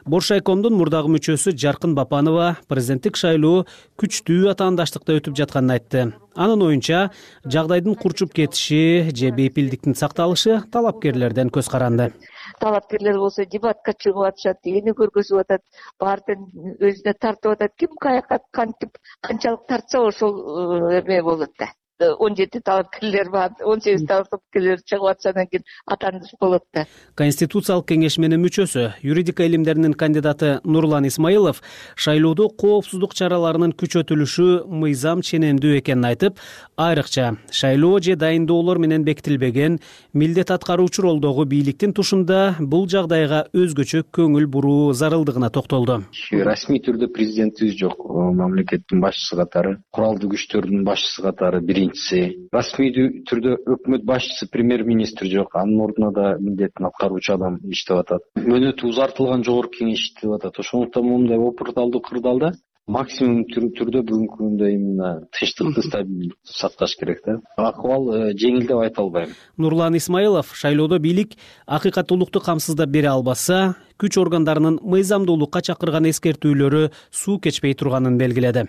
Боршайкомдун мурдагы мүчөсү Жаркын Бапанова президенттик шайлоо күчтүү атаандаштыкта өтүп жатканын айтты. Анын оюнча, жагдайдын курчуп кетиши же бейпилдиктин сакталышы талапкерлерден көз каранды. Талапкерлер болсо дебатка чыгып атышат, эни көргөзүп атат, баардын өзүнө тартып атат. Ким каяка кантип канчалык тартса ошол эме болот да. 17 талапкерлер бар, 18 талапкерлер чыгып атса анан кийин атандыш болот да. Конституциялык кеңешменин мүчөсү, юридика илимдеринин кандидаты Нурлан Исмаилов шайлоодо коопсуздук чараларынын күчөтүлүшү мыйзам ченемдүү экенин айтып, айрыкча шайлоо же дайындоолор менен бекитилбеген милдет аткаруучу ролдогу бийликтин тушунда бул жагдайга өзгөчө көңүл буруу зарылдыгына токтолду. Расмий түрдө президентибиз жок, мамлекеттин башчысы катары, куралдуу күчтөрдүн башчысы катары расмий түрдө өкмөт башчысы премьер-министр жок, анын ордуна да милдетин аткаруучу адам иштеп атат. Мөөнөтү узартылган жогорку кеңеш иштеп атат. Ошондуктан мындай опурталдуу кырдаалда максимум түрдө бүгүнкү күндө именно тынчтыкты стабилдүүлүктү сакташ керек да. Акыбал жеңил деп айта албайм. Нурлан Исмаилов шайлоодо бийлик акыйкаттуулукту камсыздап бере албаса, күч органдарынын мыйзамдуулукка чакырган эскертүүлөрү суу кечпей турганын белгиледи.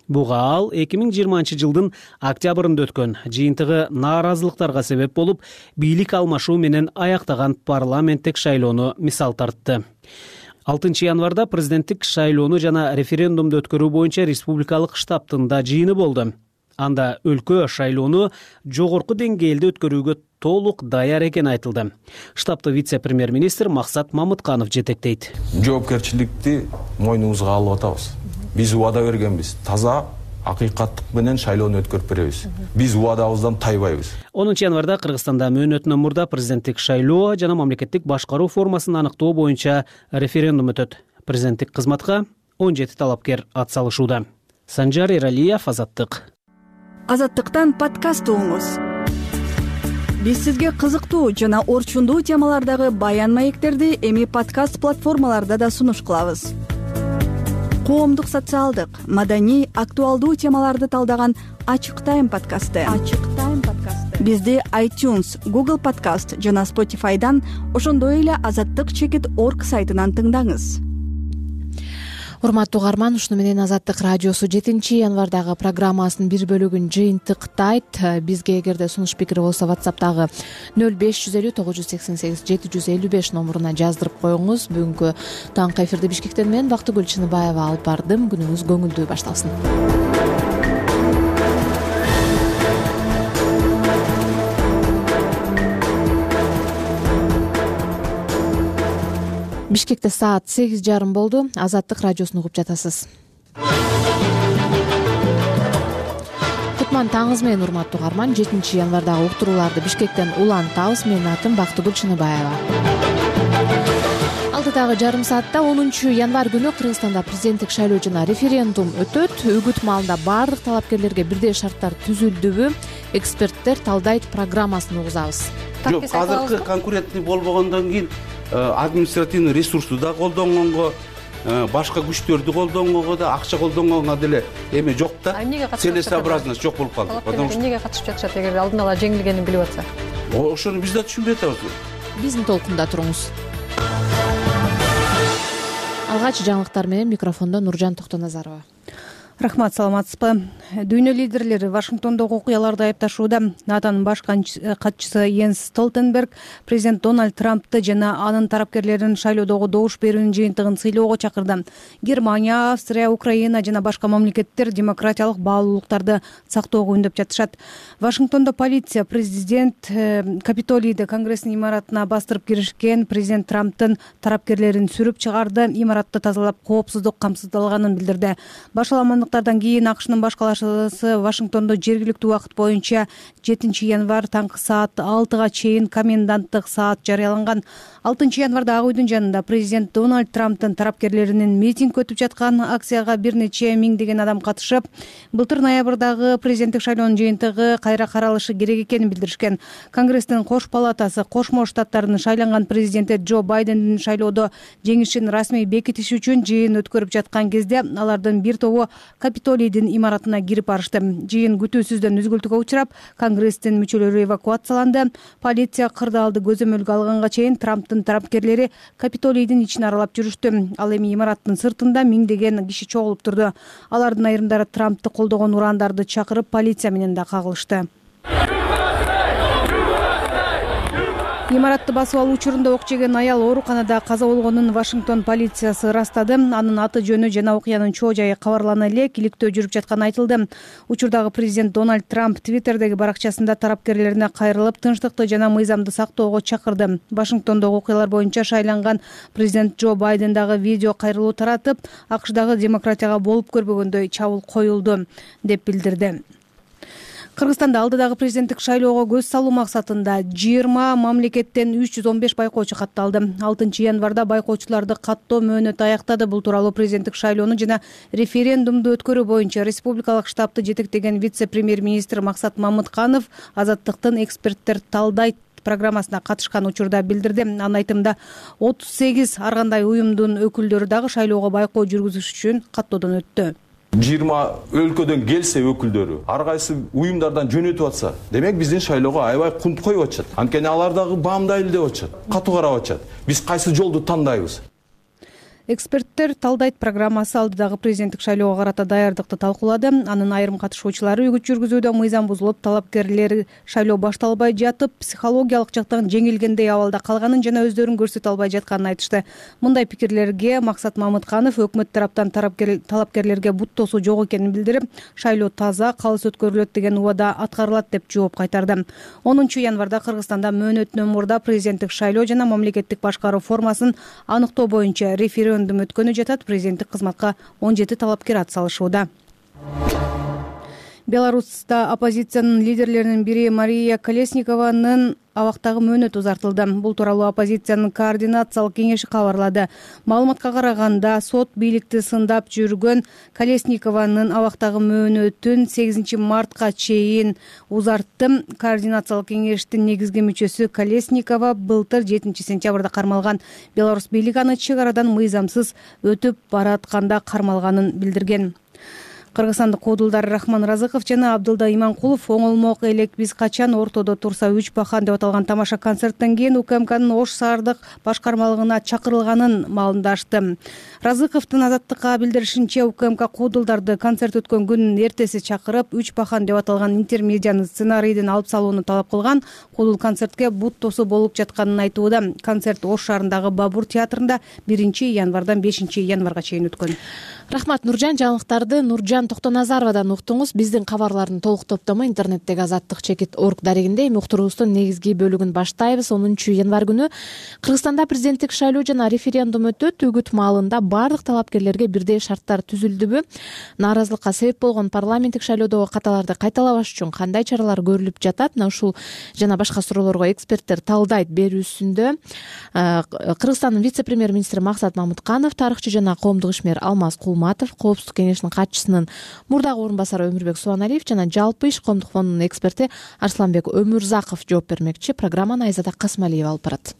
Буга ал 2020 жылдын октябрында өткөн жыйынтыгы нааразылыктарга себеп болуп, бийлик алмашуу менен аяктаган парламенттик шайлоону мисал тартты. 6 январда президенттик шайлоону жана референдумду өткөрүү боюнча республикалык штабтын да жыйыны болду. Анда өлкө шайлоону жогорку деңгээлде өткөрүүгө толук даяр экени айтылды. Штабты вице-премьер-министр Максат Мамытканов жетектейт. Жоопкерчиликти мойнубузга алып атабыз. Биз убада бергенбиз. Таза акыйкаттык менен шайлоону өткөрүп беребиз. Биз убадабыздан тайбайбыз. 10 январда Кыргызстанда мөөнөтүнөн мурда президенттик шайлоо жана мамлекеттик башкаруу формасын аныктоо боюнча референдум өтөт. Президенттик кызматка 17 талапкер ат салышууда. Санжар Эралиев, Азаттык. Азаттыктан подкаст угуңуз. Биз сизге кызыктуу жана орчундуу темалардагы баян маектерди эми подкаст платформаларда да сунуш кылабыз. коомдук, социалдык, маданий, актуалдуу темаларды талдаган Ачык Тайм подкасты. Бизди iTunes, Google Podcast жана Spotify'дан, ошондой эле azattik.org сайтынан тыңдаңыз. Урматтуу угарман, ушуну менен Азаттык радиосу 7-январдагы программасынын бир бөлүгүн жыйынтыктайт. Бизге эгерде сунуш пикир болсо WhatsApp'тагы 0550 988 755 номуруна жаздырып коюңуз. Бүгүнкү таңкы эфирди Бишкектен мен Бактыгүл Чыныбаева алып бардым. Күнүңүз көңүлдүү башталсын. Бишкекте саат 8:30 болду. Азаттык радиосун угуп жатасыз. Кутман таңыңыз менен, урматтуу угарман. 7-январдагы уктурууларды Бишкектен улантабыз. Менин атым Бактыгүл Чыныбаева. Алдыдагы жарым саатта 10 январь күнү Кыргызстанда президенттик шайлоо жана референдум өтөт. Үгүт маалында баардык талапкерлерге бирдей шарттар түзүлдүбү? Эксперттер талдайт программасын угузабыз. Жок, азыркы конкурентный болбогондон кийин административный ресурсту да колдонгонго, башка күчтөрдү колдонгонго да, акча колдонгонго деле эме жок да. Целесообразность жок болуп калды. Потому что эмнеге катышып жатышат, эгер алдын ала жеңилгенин билип атса? Ошону биз да түшүнбөй атабыз. Биздин толкунда туруңуз. Алгач жаңылыктар менен микрофондо Нуржан Токтоназарова. Рахмат, саламатсызбы? Дүйнө лидерлери Вашингтондогу окуяларды айыпташууда. НАТОнун баш катчысы Йенс Столтенберг президент Дональд Трампты жана анын тарапкерлерин шайлоодогу добуш берүүнүн жыйынтыгын сыйлоого чакырды. Германия, Австрия, Украина жана башка мамлекеттер демократиялык баалуулуктарды сактоого үндөп жатышат. Вашингтондо полиция президент Капитолийде Конгресстин имаратына бастырып киришкен президент Трамптын тарапкерлерин сүрүп чыгарды. Имаратты тазалап, коопсуздук камсыздалганын билдирди. Башаламандыктардан кийин АКШнын баш калаашысы Вашингтондо жергиликтүү убакыт боюнча 7-январь таңкы саат 6-га чейин коменданттык саат жарыяланган. 6-январда Ак үйдүн жанында президент Дональд Трамптын тарапкерлеринин митинг өтүп жаткан. Акцияга бир нече миңдеген адам катышып, былтыр ноябрдагы президенттик шайлоонун жыйынтыгы кайра каралышы керек экенин билдиришкен. Конгресстин кош палатасы Кошмо Штаттарынын шайланган президенти Джо Байдендин шайлоодо жеңишин расмий бекитиш үчүн жыйын өткөрүп жаткан кезде алардын бир тобу Капитолийдин имаратына кирип барышты. Жыйын күтүүсүздөн үзгүлтүккө учурап, Конгресстин мүчөлөрү эвакуацияланды. Полиция кырдаалды көзөмөлгө алганга чейин Трамптын тарапкерлери Капитолийдин ичин аралап жүрүштү. Ал эми имараттын сыртында миңдеген киши чогулуп турду. Алардын айрымдары Трамптты колдогон урандарды чакырып, полиция менен да кагылышты. Имаратты басып алуу учурунда ок жеген аял ооруканада каза болгонун Вашингтон полициясы ырастады. Анын аты жөнү жана окуянын чоо жайы кабарлана элек иликтөө жүрүп жатканы айтылды. Учурдагы президент Дональд Трамп Твиттердеги баракчасында тарапкерлерине кайрылып, тынчтыкты жана мыйзамды сактоого чакырды. Вашингтондогу окуялар боюнча шайланган президент Джо Байден дагы видео кайрылуу таратып, АКШдагы демократияга болуп көрбөгөндөй чабуул коюлду деп билдирди. Кыргызстанда алдыдагы президенттик шайлоого көз салуу максатында 20 мамлекеттен 315 байкоочу катталды. 6-январда байкоочуларды каттоо мөөнөтү аяктады. Бул тууралуу президенттик шайлоону жана референдумду өткөрүү боюнча республикалык штабты жетектеген вице-премьер-министр Максат Мамытканов Азаттыктын эксперттер талдайт программасына катышкан учурда билдирди. Анын айтымында 38 ар кандай уюмдун өкүлдөрү дагы шайлоого байкоо жүргүзүш үчүн каттоодон өттү. 20 өлкөдөн келсе өкүлдөрү, ар кайсы уюмдардан жөнөтүп атса, демек биздин шайлоого аябай кунт коюп атышат. Анткени алар дагы баамдайлы деп атышат, катуу карап атышат. Биз кайсы жолду тандайбыз? Эксперттер талдайт программасы алдыдагы президенттик шайлоого карата даярдыкты талкуулады. Анын айрым катышуучулары үгүт жүргүзүүдө мыйзам бузулуп, талапкерлер шайлоо башталбай жатып, психологиялык жактан жеңилгендей абалда калганын жана өздөрүн көрсөтө албай жатканын айтышты. Мындай пикирлерге Максат Мамытканов өкмөт тараптан талапкерлерге бут тосуу жок экенин билдирип, шайлоо таза, калыс өткөрүлөт деген убада аткарылат деп жооп кайтарды. 10 январда Кыргызстанда мөөнөтүнөн мурда президенттик шайлоо жана мамлекеттик башкаруу формасын аныктоо боюнча референдум өткөнү жатат. Президенттик кызматка 17 талапкер ат салышууда. Беларуста оппозициянын лидерлеринин бири Мария Колесникованын абактагы мөөнөтү узартылды. Бул тууралуу оппозициянын координациялык кеңеши кабарлады. Маалыматка караганда, сот бийликти сындап жүргөн Колесникованын абактагы мөөнөтүн 8 мартка чейин узартты. Координациялык кеңештин негизги мүчөсү Колесникова былтыр 7 сентябрда кармалган. Беларусь бийлиги аны чек арадан мыйзамсыз өтүп баратканда кармалганын билдирген. Кыргызстандык куудулдар Рахман Разыков жана Абдылда Иманкулов оңолмок элек биз качан ортодо турса 3 бахан деп аталган тамаша концерттен кийин УКМКнын Ош шаардык башкармалыгына чакырылганын маалымдашты. Разыковдун Азаттыкка билдиришинче, УКМК куудулдарды концерт өткөн күнүн эртеси чакырып, 3 бахан деп аталган интермедианы сценарийден алып салууну талап кылган. Куудул концертке бут тосу болуп жатканын айтууда. Концерт Ош шаарындагы Бабур театрында 1 январдан 5 январга чейин өткөн. Рахмат Нуржан. Жаңылыктарды Нуржан Токтоназаровадан уктуңуз. Биздин кабарлардын толук топтому интернеттеги azattik.org дарегинде. Эми уктуруубуздун негизги бөлүгүн баштайбыз. 10 январь күнү Кыргызстанда президенттик шайлоо жана референдум өтөт. Үгүт маалында бардык талапкерлерге бирдей шарттар түзүлдүбү? Нааразылыкка себеп болгон парламенттик шайлоодогу каталарды кайталабаш үчүн кандай чаралар көрүлүп жатат? Мына ушул жана башка суроолорго эксперттер талдайт берүүсүндө. Кыргызстандын вице-премьер-министри Максат Мамытканов, тарыхчы жана коомдук ишмер Алмаз Кулматов, Коопсуздук кеңешинин катчысынын мурдагы орун басары Өмүрбек Суаналиев жана жалпы иш коомдук фондунун эксперти Арсланбек Өмүрзаков жооп бермекчи. Программаны Айзада Касмалиева алып барат.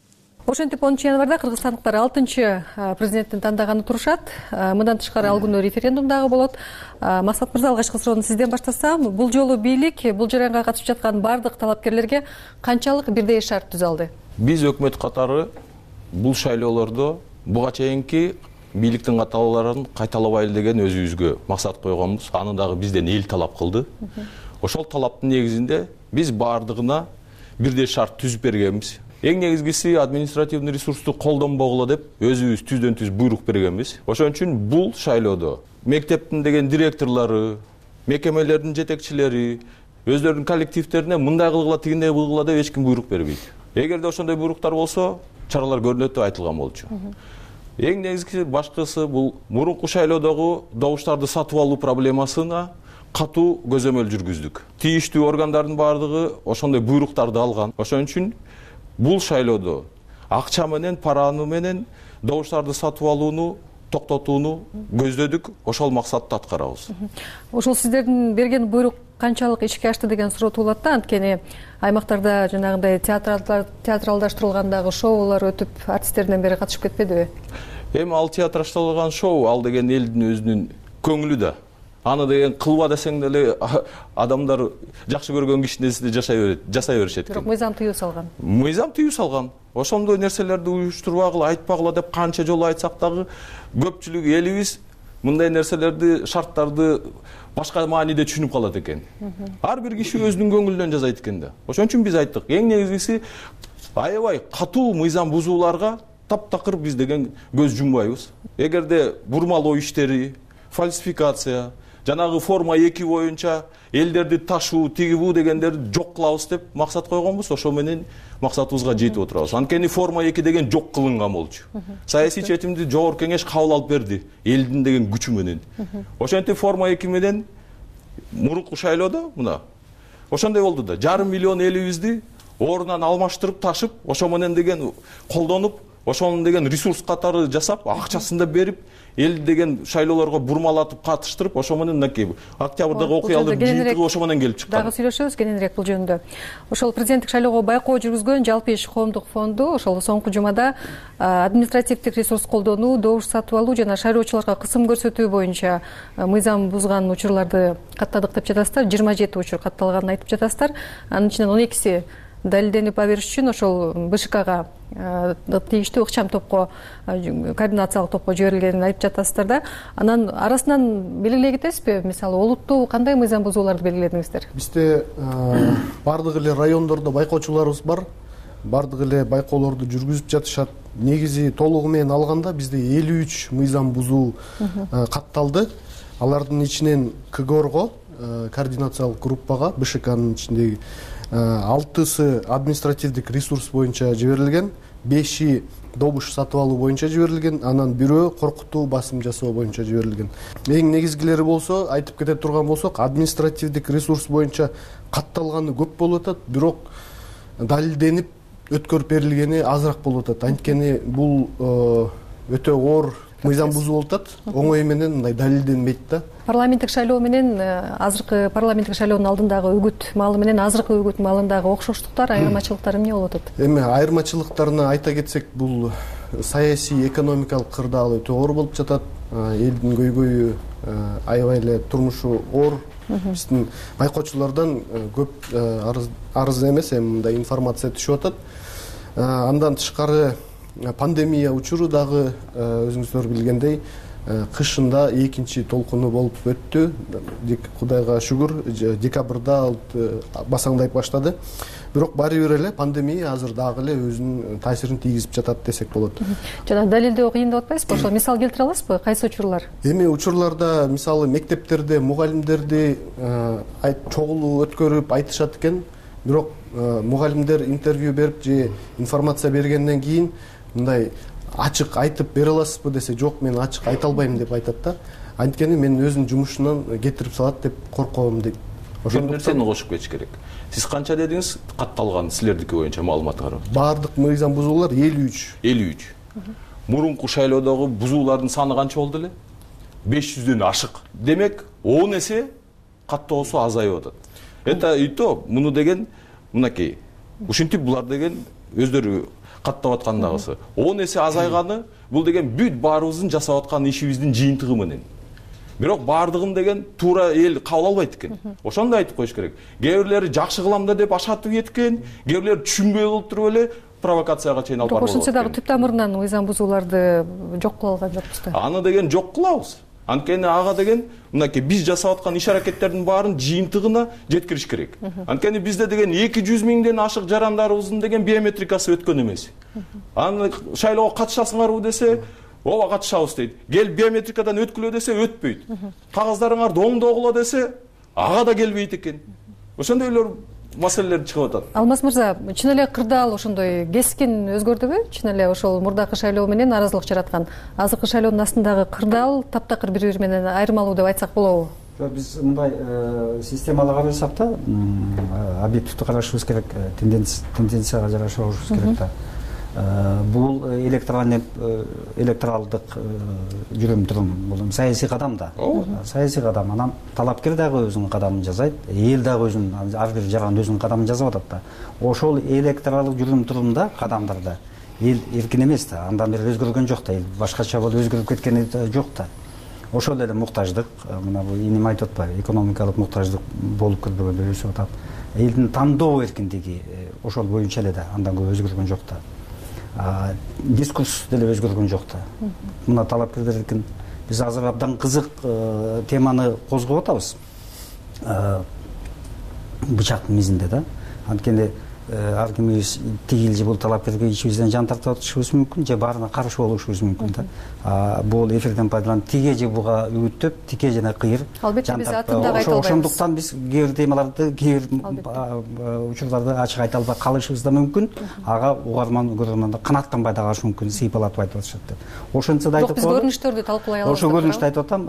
Ошентип 10 январда кыргызстандыктар 6 президенттин тандаганы турушат. Мындан тышкары ал күнү референдум дагы болот. Максат мырза, алгачкы суроону сизден баштасам, бул жолу бийлик бул жараянга катышып жаткан бардык талапкерлерге канчалык бирдей шарт түзө алды? Биз өкмөт катары бул шайлоолордо буга чейинки бийликтин каталааларын кайталабайлы деген өзүбүзгө максат койгонбуз. Аны дагы бизден эл талап кылды. Ошол талаптын негизинде биз бардыгына бирдей шарт түзүп бергенбиз. Эң негизгиси административный ресурсту колдонбогула деп өзүбүз түздөн түз буйрук бергенбиз. Ошон үчүн бул шайлоодо мектептин деген директорлору, мекемелердин жетекчилери өздөрүнүн коллективдерине мындай кылгыла, тигиндей кылгыла деп эч ким буйрук бербейт. Эгерде ошондой буйруктар болсо, чаралар көрүнөт деп айтылган болчу. Эң негизги башкысы бул мурунку шайлоодогу добуштарды сатып алуу проблемасына катуу көзөмөл жүргүздүк. Тийиштүү органдардын бардыгы ошондой буйруктарды алган. Ошон үчүн бул шайлоодо акча менен, параны менен добуштарды сатып алууну токтотууну көздөдүк. Ошол максатты аткарабыз. Ошол сиздердин берген буйрук канчалык ишке ашты деген суроо туулат да. Анткени аймактарда жанагындай театралдаштырылгандагы шоулар өтүп, артисттерден бери катышып кетпедиби? Эми ал театралдаштырылган шоу, ал деген элдин өзүнүн көңүлү да. Аны деген кылба десең деле адамдар жакшы көргөн кишинеси жасай беришет. Бирок мыйзам тыюу салган. Мыйзам тыюу салган. Ошондой нерселерди уюштурбагыла, айтпагыла деп канча жолу айтсак дагы көпчүлүк элибиз мындай нерселерди, шарттарды башка мааниде түшүнүп калат экен. Ар бир киши өзүнүн көңүлүнөн жасайт экен да. Ошон үчүн биз айттык, эң негизгиси аябай катуу мыйзам бузууларга таптакыр биз деген көз жумбайбыз. Эгерде бурмалоо иштери, фальсификация, жанагы форма 2 боюнча элдерди ташуу, тиги бу дегендерди жок кылабыз деп максат койгонбуз. Ошо менен максатыбызга жетип отурабыз. Анткени форма 2 деген жок кылынган болчу. Саясий чечимди жогорку кеңеш кабыл алып берди элдин деген күчү менен. Ошентип форма 2 менен мурунку шайлоодо мына ошондой болду да. 500 миллион элибизди ордунан алмаштырып, ташып, ошо менен деген колдонуп, ошонун деген ресурс катары жасап, акчасын да берип, эл деген шайлоолорго бурмалатып катыштырып, ошо менен мынакей октябрдагы окуялар жыйынтыгы ошо менен келип чыккан. Дагы сүйлөшөбүз кененирээк бул жөнүндө. Ошол президенттик шайлоого байкоо жүргүзгөн жалпы иш коомдук фонду ошол соңку жумада административдик ресурс колдонуу, добуш сатып алуу жана шайлоочуларга кысым көрсөтүү боюнча мыйзам бузган учурларды каттадык деп жатасыздар. 27 учур катталганын айтып жатасыздар. Анын ичинен 12си далилденип бериш үчүн ошол БШКга тийиштүү ыкчам топко, координациялык топко жиберилгенин айтып жатасыздар да. Анан арасынан белгилей кетесизби? Мисалы, олуттуу кандай мыйзам бузууларды белгиледиңиздер? Бизде бардык эле райондордо байкоочуларыбыз бар. Бардык эле байкоолорду жүргүзүп жатышат. Негизи толугу менен алганда бизде 53 мыйзам бузуу катталды. Алардын ичинен КГОРго, координациялык группага, БШКнын ичиндеги 6сы административдик ресурс боюнча жиберилген, 5и добуш сатып алуу боюнча жиберилген, анан бирөө коркутуу басым жасоо боюнча жиберилген. Эң негизгилери болсо, айтып кете турган болсок, административдик ресурс боюнча катталганы көп болуп атат, бирок далилденип өткөрүп берилгени азыраак болуп атат. Анткени бул өтө оор мыйзам бузуу болуп атат, оңой менен мындай далилденбейт да. Парламенттик шайлоо менен азыркы парламенттик шайлоонун алдындагы үгүт маалы менен азыркы үгүт маалындагы окшоштуктар, айырмачылыктар эмне болуп атат? Эми айырмачылыктарына айта кетсек, бул саясий, экономикалык кырдаалы өтө оор болуп жатат. Элдин көйгөйү аябай эле турмушу оор. Биздин байкоочулардан көп арыз эмес, эми мындай информация түшүп атат. Андан тышкары пандемия учуру дагы өзүңүздөр билгендей кышында экинчи толкуну болуп өттү. Кудайга шүгүр, декабрда басаңдайып баштады. Бирок баары бир эле пандемия азыр дагы эле өзүнүн таасирин тийгизип жатат десек болот. Жана далилдөө кыйын деп атпайсызбы? Ошол мисал келтире аласызбы? Кайсы учурлар? Эми учурларда мисалы мектептерде мугалимдерди чогулуу өткөрүп айтышат экен. Бирок мугалимдер интервью берип же информация бергенден кийин мындай ачык айтып бере аласызбы десе, жок, мен ачык айта албайм деп айтат да. Анткени мен өзүнүн жумушунан кетирип салат деп корком дейт. Ошол нерсени кошуп кетиш керек. Сиз канча дедиңиз катталган силердики боюнча маалыматтар? Баардык мыйзам бузуулар 53. 53. Мурунку шайлоодогу бузуулардын саны канча болду эле? 500дөн ашык. Демек, 10 эсе каттоосу азайып атат. Это и то, муну деген мынакей. Ушинтип булар деген өздөрү каттап аткандагысы. 10 эсе азайганы бул деген бүт баарыбыздын жасап аткан ишибиздин жыйынтыгы менен. Бирок баардыгын деген туура эл кабыл албайт экен. Ошондо айтып коюш керек. Кээ бирлери жакшы кылам да деп ашатып кеткен, кээ бирлери түшүнбөй калып туруп эле провокацияга чейин алып барып. Ошончо дагы түп тамырынан мыйзам бузууларды жок кыла алган жокпуз да. Аны деген жок кылабыз. Анткени ага деген мынакей биз жасап аткан иш-аракеттердин баарын жыйынтыгына жеткириш керек. Анткени бизде деген 200 миңден ашык жарандарыбыздын деген биометрикасы өткөн эмес. Аны шайлоого катышасыңарбы десе, ооба катышабыз дейт. Кел биометрикадан өткүлө десе өтпөйт. Кагаздарыңарды оңдогула десе, ага да келбейт экен. Ошондой эле маселелер чыгып атат. Алмаз мырза, чын эле кырдаал ошондой кескин өзгөрдүбү? Чын эле ошол мурдакы шайлоо менен аразылык жараткан азыркы шайлоонун астындагы кырдаал таптакыр бири-бири менен айырмалуу деп айтсак болобу? Биз мындай системалуу карасак да, объективдүү карашыбыз керек, тенденцияга жараша болушубуз керек да. Бул электоралдык жүрүм-турум, бул саясий кадам да. Саясий кадам, анан талапкер дагы өзүнүн кадамын жасайт, эл дагы өзүнүн, ар бир жаран өзүнүн кадамын жасап атат да. Ошол электоралдык жүрүм-турумда, кадамдарда эл эркин эмес да, андан бери өзгөргөн жок да, эл башкача болуп өзгөрүп кеткени жок да. Ошол эле муктаждык, мына бул иним айтып атпайбы, экономикалык муктаждык болуп көрбөгөндө өсүп атат. Элдин тандоо эркиндиги ошол боюнча эле да, андан көп өзгөргөн жок да. Дискурс деле өзгөргөн жок да. Мына талапкерлер эркин, биз азыр абдан кызык теманы козгоп атабыз. Бычак мизинде да. Анткени ар кимибиз тигил же бул талапкерге ичибизден жан тартып атышыбыз мүмкүн, же баарына каршы болушубуз мүмкүн да. Бул эфирден пайдаланып тиге же буга үгүттөп, тике жана кыйыр. Албетте биз атындагы айта албайбыз. Ошондуктан биз кээ бир темаларды, кээ бир учурларды ачык айта албай калышыбыз да мүмкүн. Ага угарман көргөндө канааттанбай да калышы мүмкүн, сыйпалатып айтып атышат деп. Ошончо да айтып коелу. Биз көрүнүштөрдү талкуулай алабыз. Ошол көрүнүштү айтып атам.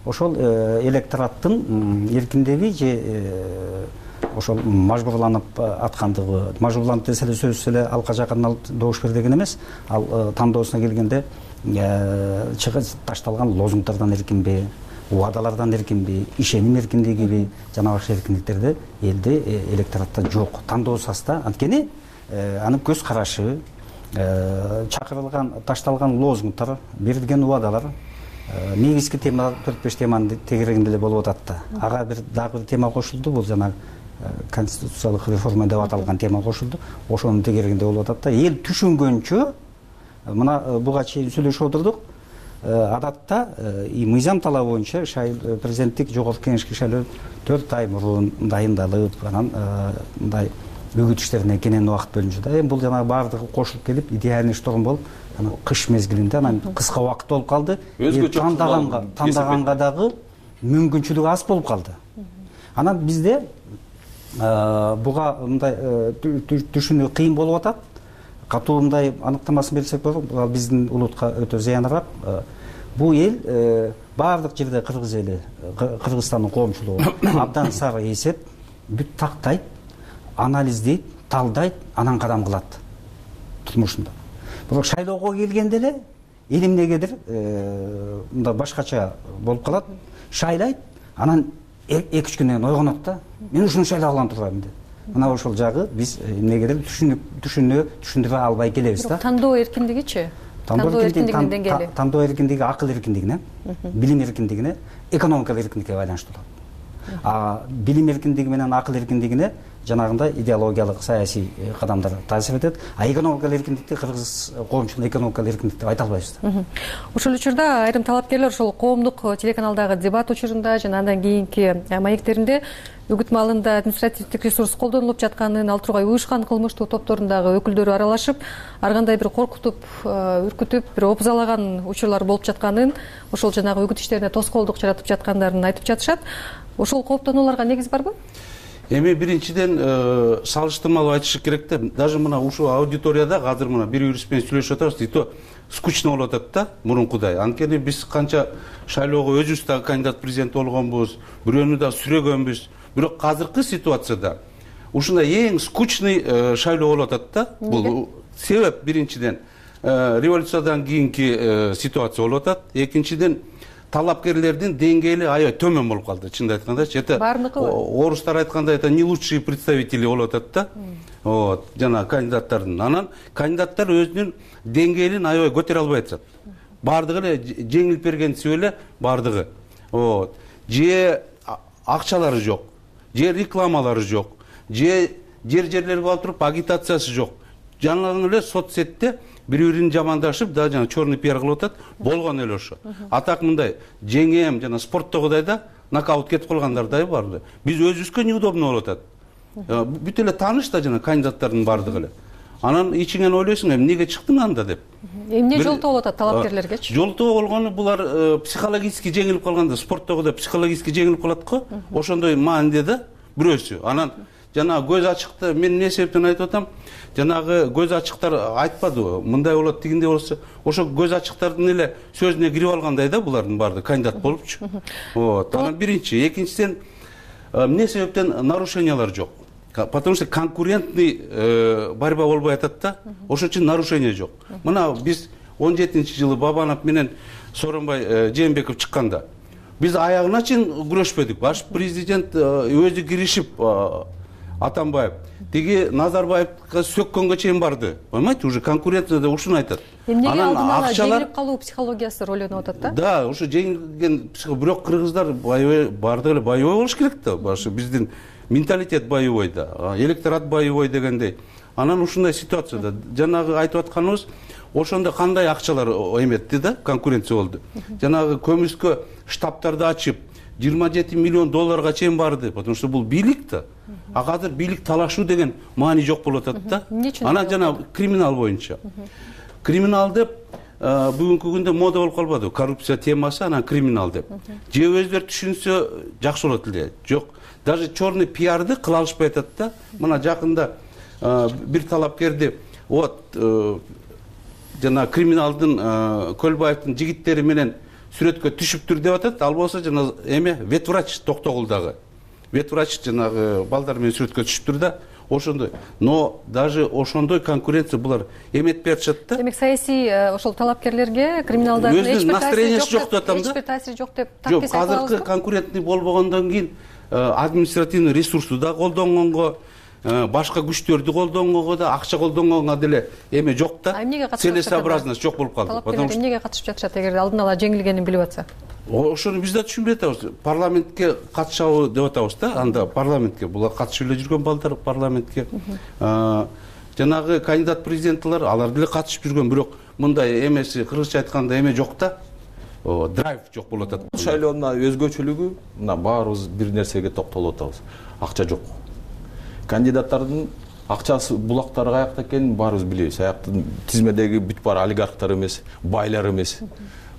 Ошол электораттын эркиндиги же ошол мажбурланып аткандыгы, мажбурланып десе эле сөзсүз эле алка жакын алып добуш бер деген эмес, ал тандоосуна келгенде ташталган лозунгдардан эркинби, убадалардан эркинби, ишеним эркиндигиби, жана башка эркиндиктерди элде электоратта жок. Тандоосу аста, анткени анын көз карашы, чакырылган, ташталган лозунгдар, берилген убадалар негизги тема 4-5 теманын тегерегинде эле болуп атат да. Ага бир дагы бир тема кошулду, бул жана конституциялык реформа деп аталган тема кошулду. Ошонун тегерегинде болуп атат да. Эл түшүнгөнчө, мына буга чейин сүйлөшүп отурдук. Адатта мыйзам талабы боюнча президенттик жогорку кеңешке шайлоо 4 ай мурун дайындалып, анан мындай үгүт иштерине кенен убакыт бөлүнчү да. Эми бул жана баардыгы кошулуп келип, идеальный шторм болуп, анан кыш мезгилинде анан кыска убакыт болуп калды. Тандаганга дагы мүмкүнчүлүгү аз болуп калды. Анан бизде буга мындай түшүнүү кыйын болуп атат. катуу мындай аныктамасын берсек болот, ал биздин улутка өтө зыяныраак. Бул эл баардык жерде кыргыз эли, Кыргызстандын коомчулугу абдан сары эсеп, бүт тактайт, анализдейт, талдайт, анан кадам кылат турмушунда. Бирок шайлоого келгенде эле эл эмнегедир мында башкача болуп калат, шайлайт, анан 2-3 күндөн кийин ойгонот да, мен ушуну шайлап алган турбаймын деп. Мына ошол жагы биз эмнегедир түшүндүрө албай келебиз да. Тандоо эркиндигичи? Тандоо эркиндигинин деңгээли. Тандоо эркиндиги акыл эркиндигине, билим эркиндигине, экономикалык эркиндикке байланыштуу болот. Билим эркиндиги менен акыл эркиндигине жанагындай идеологиялык саясий кадамдар таасир этет. Экономикалык эркиндикти кыргыз коомчулугу экономикалык эркиндик деп айта албайбыз да. Ошол учурда айрым талапкерлер ошол коомдук телеканалдагы дебат учурунда жана андан кийинки маектеринде үгүт маалында административдик ресурс колдонулуп жатканын, ал тургай уюшкан кылмыштуу топторундагы өкүлдөрү аралашып, ар кандай бир коркутуп, үркүтүп, бир опузалаган учурлар болуп жатканын, ошол жанагы үгүт иштерине тоскоолдук жаратып жаткандарын айтып жатышат. Ошол кооптонууларга негиз барбы? Эми биринчиден салыштырмалуу айтыш керек да. Даже мына ушул аудиторияда азыр мына бир юрист менен сүйлөшүп атабыз, и то скучно болуп атат да, мурункудай. Анткени биз канча шайлоого өзүбүз дагы кандидат президент болгонбуз, бирөөнү да сүрөгөнбүз. Бирок азыркы ситуацияда ушундай эң скучный шайлоо болуп атат да. Бул себеп биринчиден революциядан кийинки ситуация болуп атат. Экинчиден талапкерлердин деңгээли аябай төмөн болуп калды, чынын айткандачы. Это орустар айткандай, это не лучшие представители болуп атат да. Вот, жана кандидаттардын. Анан кандидаттар өзүнүн деңгээлин аябай көтөрө албай атышат. Бардыгы эле жеңилип бергенсип эле бардыгы. Вот. Же акчалары жок, же рекламалары жок, же жерлерге алып туруп агитациясы жок. Жаңы эле соцсетте бири-бирин жамандашып, да жана черный пиар кылып атат, болгон эле ошо. Атак мындай жеңем жана спорттогудай да нокаут кетип калгандардай бар. Биз өзүбүзгө неудобно болуп атат. Бүт эле тааныш да жана кандидаттардын бардыгы эле. Анан ичиңен ойлойсуң, эмнеге чыктың анда деп. Эмне жолтоо болуп атат талапкерлергечи? Жолтоо болгону булар психологически жеңилип калганда, спорттогудай психологически жеңилип калат го. Ошондой маанде да бирөөсү. Анан жанагы көз ачыкты мен эмне себептен айтып атам? Жанагы көз ачыктар айтпады, мындай болот, тигиндей болсо, ошо көз ачыктардын эле сөзүнө кирип алгандай да булардын баардыгы кандидат болупчу. Вот. Анан биринчи, экинчиден эмне себептен нарушениялар жок? Потому что конкурентный борьба болбой атат да. Ошон үчүн нарушение жок. Мына биз 17-жылы Бабанов менен Сооронбай Жээнбеков чыкканда биз аягына чейин күрөшпөдүк. Баш президент өзү киришип Атамбаев тиги Назарбаевга сөккөнгө чейин барды. Понимаете, уже конкуренцияда ушуну айтат. Эмнеге алдын ала жеңилип калуу психологиясы роль ойноп атат да? Да, ушу жеңилген бирок кыргыздар бардыгы эле боевой болуш керек да. Башы биздин менталитет боевой да, электорат боевой дегендей. Анан ушундай ситуацияда жанагы айтып атканыбыз, ошондо кандай акчалар эметти да, конкуренция болду. Жанагы көмүскө штабтарды ачып 27 миллион долларга чейин барды, потому что бул бийлик да. А азыр бийлик талашуу деген маани жок болуп атат да. Анан жана криминал боюнча. Криминал деп бүгүнкү күндө мода болуп калбады, коррупция темасы, анан криминал деп. Же өздөрү түшүнсө жакшы болот эле. Жок, даже черный пиарды кыла алышпай атат да. Мына жакында бир талапкерди вот жана криминалдын Көлбаевдин жигиттери менен сүрөткө түшүптүр деп атат. Ал болсо жана эме ветврач Токтогулдагы. Ветврач жанагы балдар менен сүрөткө түшүптүр да. Ошондой. Но даже ошондой конкуренция булар эметпей атышат да. Демек саясий ошол талапкерлерге криминалдардын эч бир таасири жок деп атам да. Эч бир таасири жок деп таккес айта алабызбы? Жок, азыркы конкурентный болбогондон кийин административный ресурсту да колдонгонго, башка күчтөрдү колдонгонго да, акча колдонгонго деле эме жок да. Целесообразность жок болуп калды. Потому что эмнеге катышып жатышат эгер алдын ала жеңилгенин билип атса? Ошону биз да түшүнбөй атабыз. Парламентке катышабы деп атабыз да. Анда парламентке булар катышып эле жүргөн балдар парламентке. Жанагы кандидат президенттер алар деле катышып жүргөн, бирок мындай эмеси кыргызча айтканда эме жок да. Драйв жок болуп атат. Шайлоонун өзгөчөлүгү мына баарыбыз бир нерсеге токтолуп атабыз. Акча жок. Кандидаттардын акчасы булактары каякта экенин баарыбыз билебиз. Аяктын тизмедеги бүт бар олигархтар эмес, байлар эмес.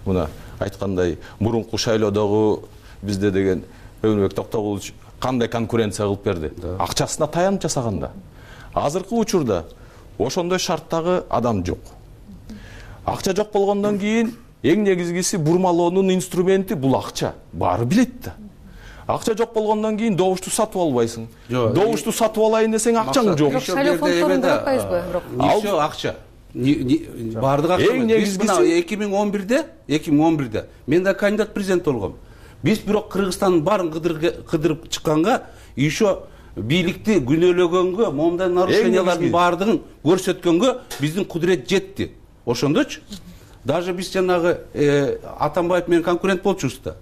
Мына айткандай мурунку шайлоодогу бизде деген Өбөнбек Токтогулович кандай конкуренция кылып берди. Акчасына таянып жасаганда. Азыркы учурда ошондой шарттагы адам жок. Акча жок болгондон кийин эң негизгиси бурмалоонун инструменти бул акча. Баары билет да. Акча жок болгондон кийин добушту сатып албайсың. Добушту сатып алайын десең акчаң жок. Шайлоо фонддорун каратпайсызбы? Еще акча. Бардык акча. Эң негизгиси 2011-де мен да кандидат президент болгом. Биз бирок Кыргызстандын баарын кыдырып чыкканга, еще бийликти күнөөлөгөнгө, момундай нарушениялардын баардыгын көрсөткөнгө биздин кудурет жетти. Ошондочу даже биз жанагы Атамбаев менен конкурент болчубуз да.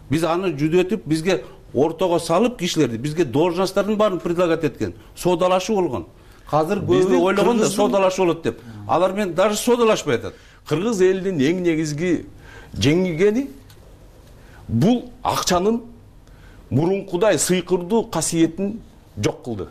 Биз аны жүдөтүп, бизге ортого салып кишилерди, бизге должносттордун баарын предлагать эткен. Соодалашуу болгон. Азыр көбү ойлогон да соодалашуу болот деп. Алар менен даже соодалашпай атат. Кыргыз элинин эң негизги жеңилгени бул акчанын мурункудай сыйкырдуу касиетин жок кылды.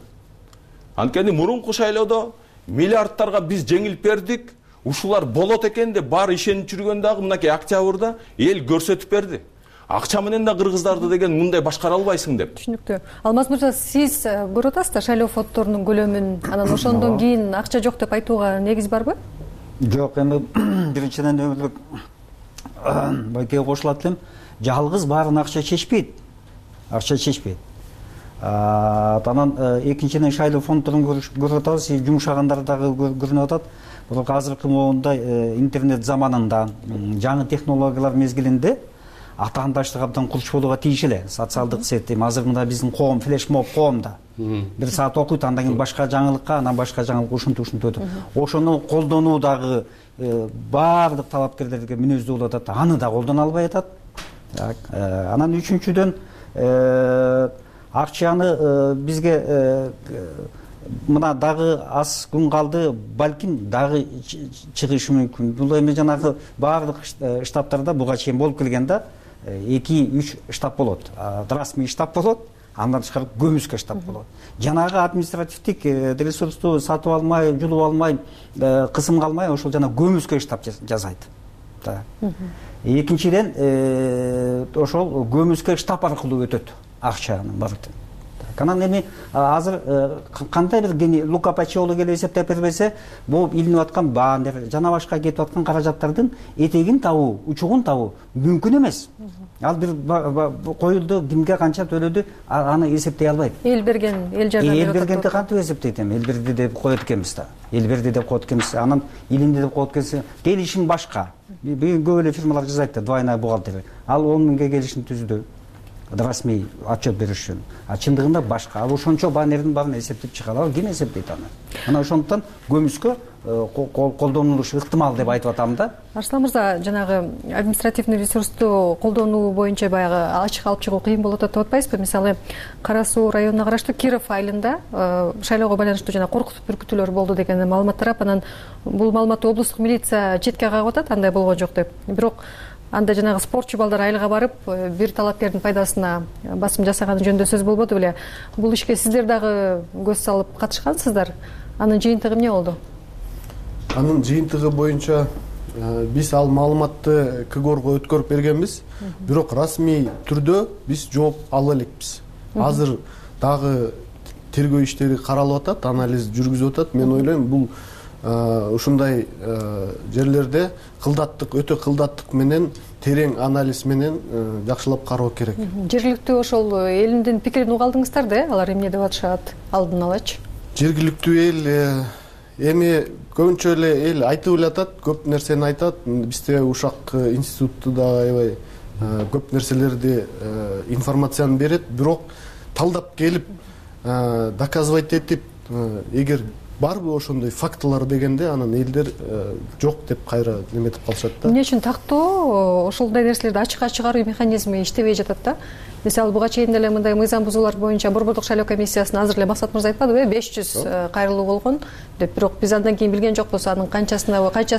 Анткени мурунку шайлоодо миллиардтарга биз жеңилип бердик. Ушулар болот экен деп баары ишенип жүргөн дагы мынакей октябрда эл көрсөтүп берди. Акча менен да кыргыздарды деген мындай башкара албайсың деп. Түшүнүктүү. Алмаз мырза, сиз көрүп атасыз да шайлоо фонддорунун көлөмүн, анан ошондон кийин акча жок деп айтууга негиз барбы? Жок, эми биринчиден өмүрлүк байкеге кошулат элем. Жалгыз баарын акча чечпейт. Акча чечпейт. Анан экинчиден шайлоо фонддорун көрүп атабыз, жумшагандар дагы көрүнүп атат. Бирок азыркы моундай интернет заманында, жаңы технологиялар мезгилинде атаандаштык абдан курч болууга тийиш эле. Социалдык сет, азыр мында биздин коом флешмоб коомда. Бир саат окуйт, андан кийин башка жаңылыкка, анан башка жаңылык ушинтип өтөт. Ошону колдонуу дагы баардык талапкерлерге мүнөздүү болуп атат. Аны да колдоно албай атат. Анан үчүнчүдөн акчаны бизге мына дагы аз күн калды, балким дагы чыгышы мүмкүн. Бул эми жанагы баардык штабтарда буга чейин болуп келген да, 2-3 штаб болот. Расмий штаб болот, андан тышкары көмүскө штаб болот. Жанагы административдик ресурсту сатып алмай, жулуп алмай, кысым калмай, ошол жана көмүскө штаб жасайт. Экинчиден ошол көмүскө штаб аркылуу өтөт акчанын баардыгы. Анан эми азыр кандай бир Лука Пачиоло келип эсептеп бербесе, бул илинип аткан баандер, жана башка кетип аткан каражаттардын этегин табуу, учугун табуу мүмкүн эмес. Ал бир коюлду, кимге канча төлөдү, аны эсептей албайт. Эл берген, эл жардам берип атат. Эл бергенди кантип эсептейт эми? Эл берди деп коет экенбиз да. Эл берди деп коет экенбиз. Анан илинди деп коет экенбиз. Келишим башка. Көп эле фирмалар жасайт да, двойная бухгалтерия. Ал 10 миңге келишим түздү. Расмий отчет бериш үчүн. Чындыгында башка. Ал ошончо банердин баарын эсептеп чыга алат. Ким эсептейт аны? Анан ошондуктан көмүскө колдонулушу ыктымал деп айтып атам да. Арслан мырза, жанагы административный ресурсту колдонуу боюнча баягы ачык алып чыгуу кыйын болот деп атпайсызбы? Мисалы, Кара Суу районуна караштуу Киров айылында шайлоого байланыштуу жана коркутуп бүркүтүүлөр болду деген маалымат тарап, анан бул маалыматты облустук милиция четке кагып атат, андай болгон жок деп. Бирок анда жанагы спортчу балдар айылга барып, бир талапкердин пайдасына басым жасаганы жөнүндө сөз болбоду беле? Бул ишке сиздер дагы көз салып катышкансыздар. Анын жыйынтыгы эмне болду? Анын жыйынтыгы боюнча биз ал маалыматты КГОРго өткөрүп бергенбиз, бирок расмий түрдө биз жооп ала элекпиз. Азыр дагы тергөө иштери каралып атат, анализ жүргүзүп атат. Мен ойлойм, бул ушундай жерлерде кылдаттык, өтө кылдаттык менен, терең анализ менен жакшылап кароо керек. Жергиликтүү ошол элиндин пикирин уга алдыңыздар да, алар эмне деп атышат алдын алачы? Жергиликтүү эл эми көбүнчө эле эл айтып эле атат, көп нерсени айтат. Бизде Ушак институту да аябай көп нерселерди информацияны берет, бирок талдап келип доказывать этип, эгер барбы ошондой фактылар дегенде, анан элдер жок деп кайра неметип калышат да. Эмне үчүн тактоо ошондой нерселерди ачыкка чыгаруу механизми иштебей жатат да? Мисалы, буга чейин деле мындай мыйзам бузуулар боюнча Борбордук шайлоо комиссиясына азыр эле Максат мырза айтпадыбы, 500 кайрылуу болгон деп. Бирок биз андан кийин билген жокпуз, анын канчасы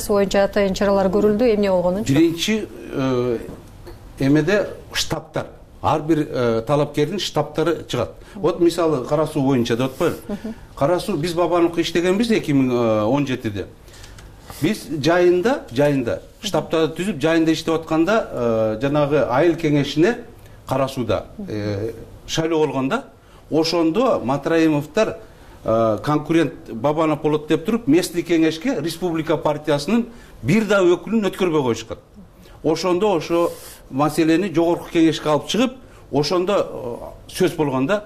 боюнча атайын чаралар көрүлдү, эмне болгонун. Биринчи эмеде штабтар, ар бир талапкердин штабтары чыгат. Вот мисалы Кара Суу боюнча деп атпайбы? Кара Суу биз Бабановго иштегенбиз 2017-де. Биз жайында штабтарды түзүп, жайында иштеп атканда, жанагы айыл кеңешине Кара Сууда шайлоо болгондо, ошондо Матраимовдор конкурент Бабанов болот деп туруп местный кеңешке республика партиясынын бир да өкүлүн өткөрбөй коюшкан. Ошондо ошо маселени жогорку кеңешке алып чыгып, ошондо сөз болгондо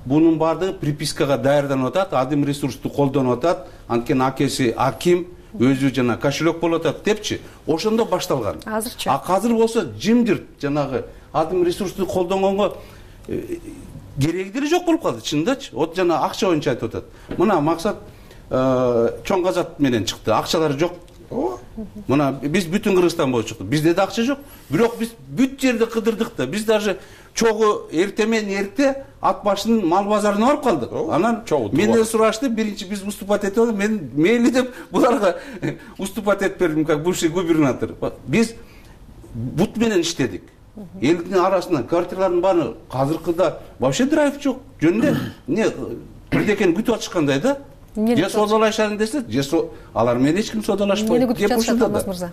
бунун баардыгы припискага даярданып атат, адим ресурсту колдонуп атат, анткени акеси аким, өзү жана кошелек болуп атат депчи. Ошондо башталган. Азырчы. Азыр болсо жимдирт жанагы адим ресурсту колдонгонго кереги деле жок болуп калды, чынындачы. Вот жана акча боюнча айтып атат. Мына максат чоң казат менен чыкты, акчалары жок. Мына биз бүтүн Кыргызстан боюнча чыктык. Бизде да акча жок. Бирок биз бүт жерди кыдырдык да. Биз даже чогу эрте менен эрте ат башынын мал базарына барып калдык. Анан менден сурашты, биринчи биз уступать этип атабыз. Мен мейли деп буларга уступать этип бердим, как бывший губернатор. Биз бут менен иштедик. Элдин арасынан квартиралардын баары азыркыда вообще драйв жок. Жөнүндө эмне бирдекени күтүп атышкандай да. Же содалашайын десе, же алар менен эч ким содалашпайт. Эмне күтүп жатышат Алмаз мырза?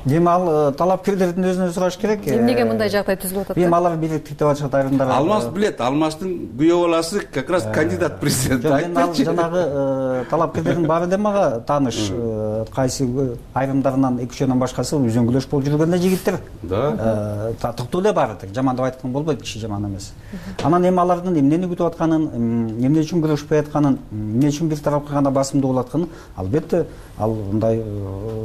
Эми ал талапкерлердин өзүнөн сураш керек. Эмнеге мындай жагдай түзүлүп атат? Эми алар бийликтик деп атышат айрымдар. Алмаз билет, Алмаздын күйөө баласы как раз кандидат президент. Ал жанагы талапкерлердин баары да мага тааныш. Кайсы айрымдарынан 2-3 башкасы үзөңгүлөш болуп жүргөн жигиттер. Да. Токтоо эле баары да. Жаман деп айткан болбойт, киши жаман эмес. Анан эми алардын эмнени күтүп атканын, эмне үчүн күрөшпөй атканын, эмне үчүн бир тарапка гана басымдуу болуп атканын, албетте ал мындай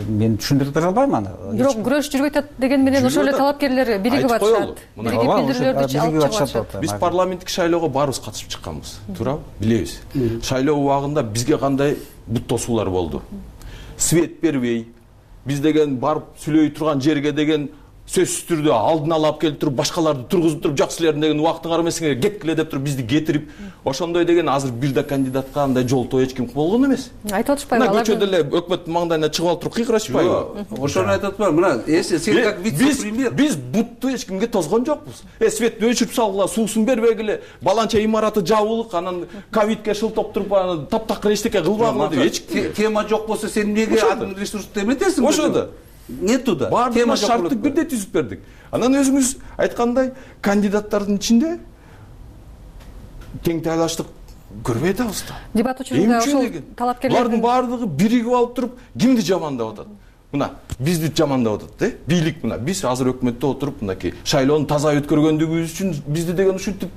мен түшүндүрүп бере албайм аны. Бирок күрөш жүрбөй атат деген менен ошол эле талапкерлер биригип атышат. Биригип билдирүүлөрдү алып чыгышат. Биз парламенттик шайлоого баарыбыз катышып чыкканбыз. Туурабы? Билебиз. Шайлоо убагында бизге кандай бут тосуулар болду. Свет бербей, биз деген барып сүйлөй турган жерге деген сөзсүз түрдө алдын ала алып келип туруп, башкаларды тургузуп туруп, жок силердин деген убактың карамасыңар, кеткиле деп туруп бизди кетирип, ошондой деген азыр бир да кандидатка андай жолтоо эч ким болгон эмес. Айтып атышпайбы алар? Көчөдө эле өкмөттүн маңдайына чыгып алып туруп кыйкырашпайбы? Ошону айтып атпайбы? Мына, сен как вице-премьер. Биз бутту эч кимге тозгон жокпуз. Светти өчүрүп салгыла, суусун бербегиле, баланча имараты жабылык, анан ковидке шылтоп туруп, анан таптакыр эчтеке кылбагыла деп эч тема жок болсо сен эмнеге адим ресурсту эметесиң? Ошондо. Нету да. Баардыгына шартты бирдей түзүп бердик. Анан өзүңүз айткандай кандидаттардын ичинде тең тайлаштык көрбөй атабыз да. Дебат учурунда ошол талапкерлердин булардын баардыгы биригип алып туруп кимди жамандап атат? Мына бизди жамандап атат, бийлик мына биз азыр өкмөттө отуруп мынакей шайлоону таза өткөргөндүгүбүз үчүн бизди деген ушинтип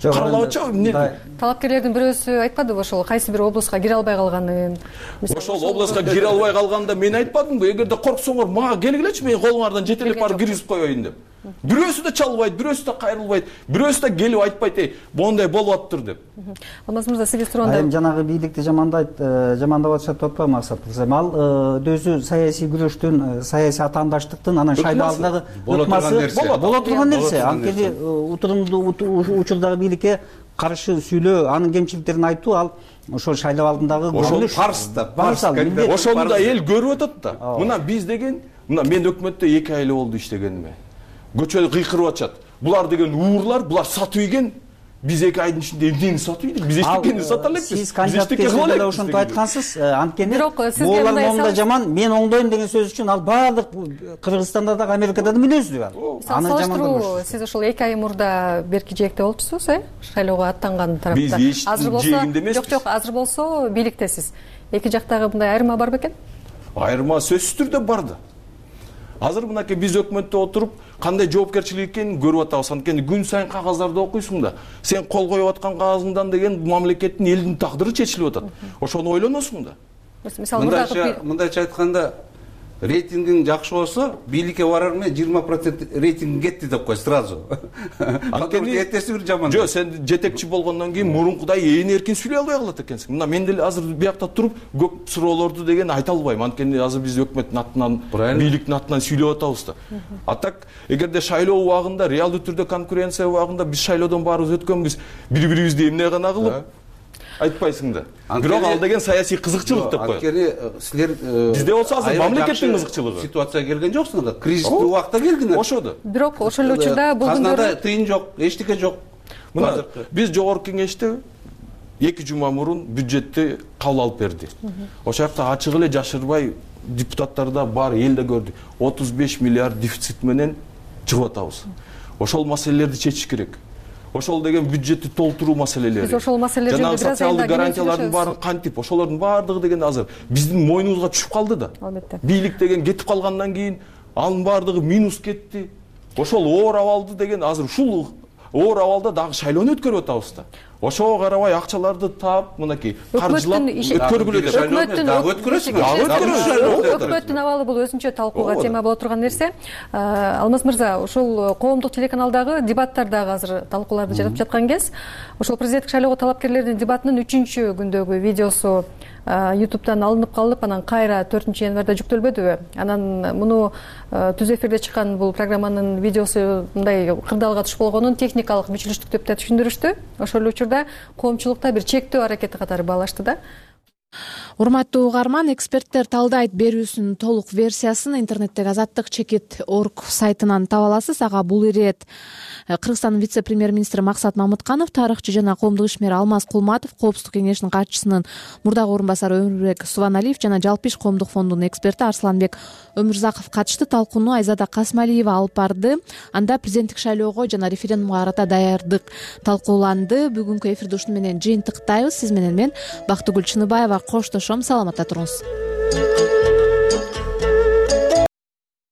каралап атышабы эмне? Талапкерлердин бирөөсү айтпадыбы ошол кайсы бир областка кире албай калганын? Ошол областка кире албай калганда мен айтпадымбы? Эгерде корксоңор мага келгилечи, мен колуңардан жетелеп барып киргизип коеюн деп. Бирөөсү да чалбайт, бирөөсү да кайрылбайт, бирөөсү да келип айтпайт, моундай болуп атыптыр деп. Алмаз мырза, сизге суроондо эми жанагы бийликти жамандап атышат деп атпайбы Максат мырза? Ал өзү саясий күрөштүн, саясий атаандаштыктын анан шайлоо алдындагы ыкмасы боло турган нерсе. Анткени утурумдуу учурдагы бийликке каршы сүйлөө, анын кемчиликтерин айтуу ал ошол шайлоо алдындагы ошол парс да, ошону да эл көрүп атат да. Мына биз деген, мына мен өкмөттө 2 ай эле болду иштегениме. Көчөдө кыйкырып атышат. Булар деген уурлар, булар сатып ийген. Биз 2 айдын ичинде эмнени сатып ийдик? Биз эчтекени сата элекпиз. Сиз кандидат кезинде эле ошонтип айткансыз. Анткени булар моундай жаман, мен оңдойм деген сөз үчүн ал баардык Кыргызстанда дагы Америкада да мүнөздүү ал. Аны жамандоо. Сиз ошол 2 ай мурда берки жээкте болчусуз, Шайлоого аттанган тарапта. Азыр болсо, жок, азыр болсо бийликтесиз. Эки жактагы мындай айырма бар бекен? Айырма сөзсүз түрдө бар да. Азыр мынакей биз өкмөттө отуруп кандай жоопкерчилик экенин көрүп атабыз. Анткени күн сайын кагаздарды окуйсуң да, сен кол коюп аткан кагазыңдан деген мамлекеттин элдин тагдыры чечилип атат. Ошону ойлоносуң да. Мындайча айтканда, рейтингиң жакшы болсо, бийликке барар менен 20% рейтинг кетти деп кой сразу. Анткени эртеси бир жаман. Жок, сен жетекчи болгондон кийин мурункудай ээн эркин сүйлөй албай калат экенсиң. Мына мен деле азыр биякта туруп көп суроолорду деген айта албайм. Анткени азыр биз өкмөттүн атынан, бийликтин атынан сүйлөп атабыз да. А так, эгерде шайлоо убагында, реалдуу түрдө конкуренция убагында биз шайлоодон баарыбыз өткөнбүз, бири-бирибизди эмне гана кылып айтпайсың да. Бирок ал деген саясий кызыкчылык деп коет. Анткени силер бизде болсо азыр мамлекеттин кызыкчылыгы. Ситуация келген жоксуңар, кризистүү убакта келдиңер. Ошодо. Бирок ошол эле учурда бул казнада тыйын жок, эчтеке жок. Мына биз жогорку кеңеште 2 жума мурун бюджетти кабыл алып берди. Ошол жакта ачык эле жашырбай депутаттар да бар, эл да көрдү. 35 миллиард дефицит менен чыгып атабыз. Ошол маселелерди чечиш керек. ошол деген бюджетти толтуруу маселелери, биз ошол маселелер жөнүндө жанагы социалдык гарантиялардын баарын кантип, ошолордун баардыгы деген азыр биздин мойнубузга түшүп калды да. Албетте. Бийлик деген кетип калгандан кийин анын баардыгы минус кетти. Ошол оор абалды деген азыр ушул оор абалда дагы шайлоону өткөрүп атабыз да. Ошого карабай акчаларды таап, мынакей каржылап өткөргүлө деп. Өкмөттүн абалы бул өзүнчө талкууга тема боло турган нерсе. Алмаз мырза, ушул коомдук телеканалдагы дебаттар дагы азыр талкууларды жаратып жаткан кез. Ошол президенттик шайлоого талапкерлердин дебатынын 3-чү күндөгү видеосу YouTube'дан алынып калып, анан кайра 4-январда жүктөлбөдүбү? Анан муну түз эфирде чыккан бул программанын видеосу мындай кырдаалга туш болгонун техникалык мүчүлүштүк деп да түшүндүрүштү. Ошол эле учурда коомчулукта бир чектөө аракети катары баалашты да. Урматтуу угарман, эксперттер талдайт берүүсүнүн толук версиясын интернеттеги azatdыk.org сайтынан таба аласыз. Ага бул ирет Кыргызстандын вице-премьер-министри Максат Мамытканов, тарыхчы жана коомдук ишмер Алмаз Кулматов, Коопсуздук кеңешинин катчысынын мурдагы орун басары Өмүрбек Субаналиев жана Жалпы иш коомдук фондунун эксперти Арсланбек Өмүрзаков катышты. Талкууну Айзада Касмалиева алып барды. Анда президенттик шайлоого жана референдумга карата даярдык талкууланды. Бүгүнкү эфирди ушуну менен жыйынтыктайбыз. Сиз менен мен Бактыгүл Чыныбаева коштошом. Саламатта туруңуз.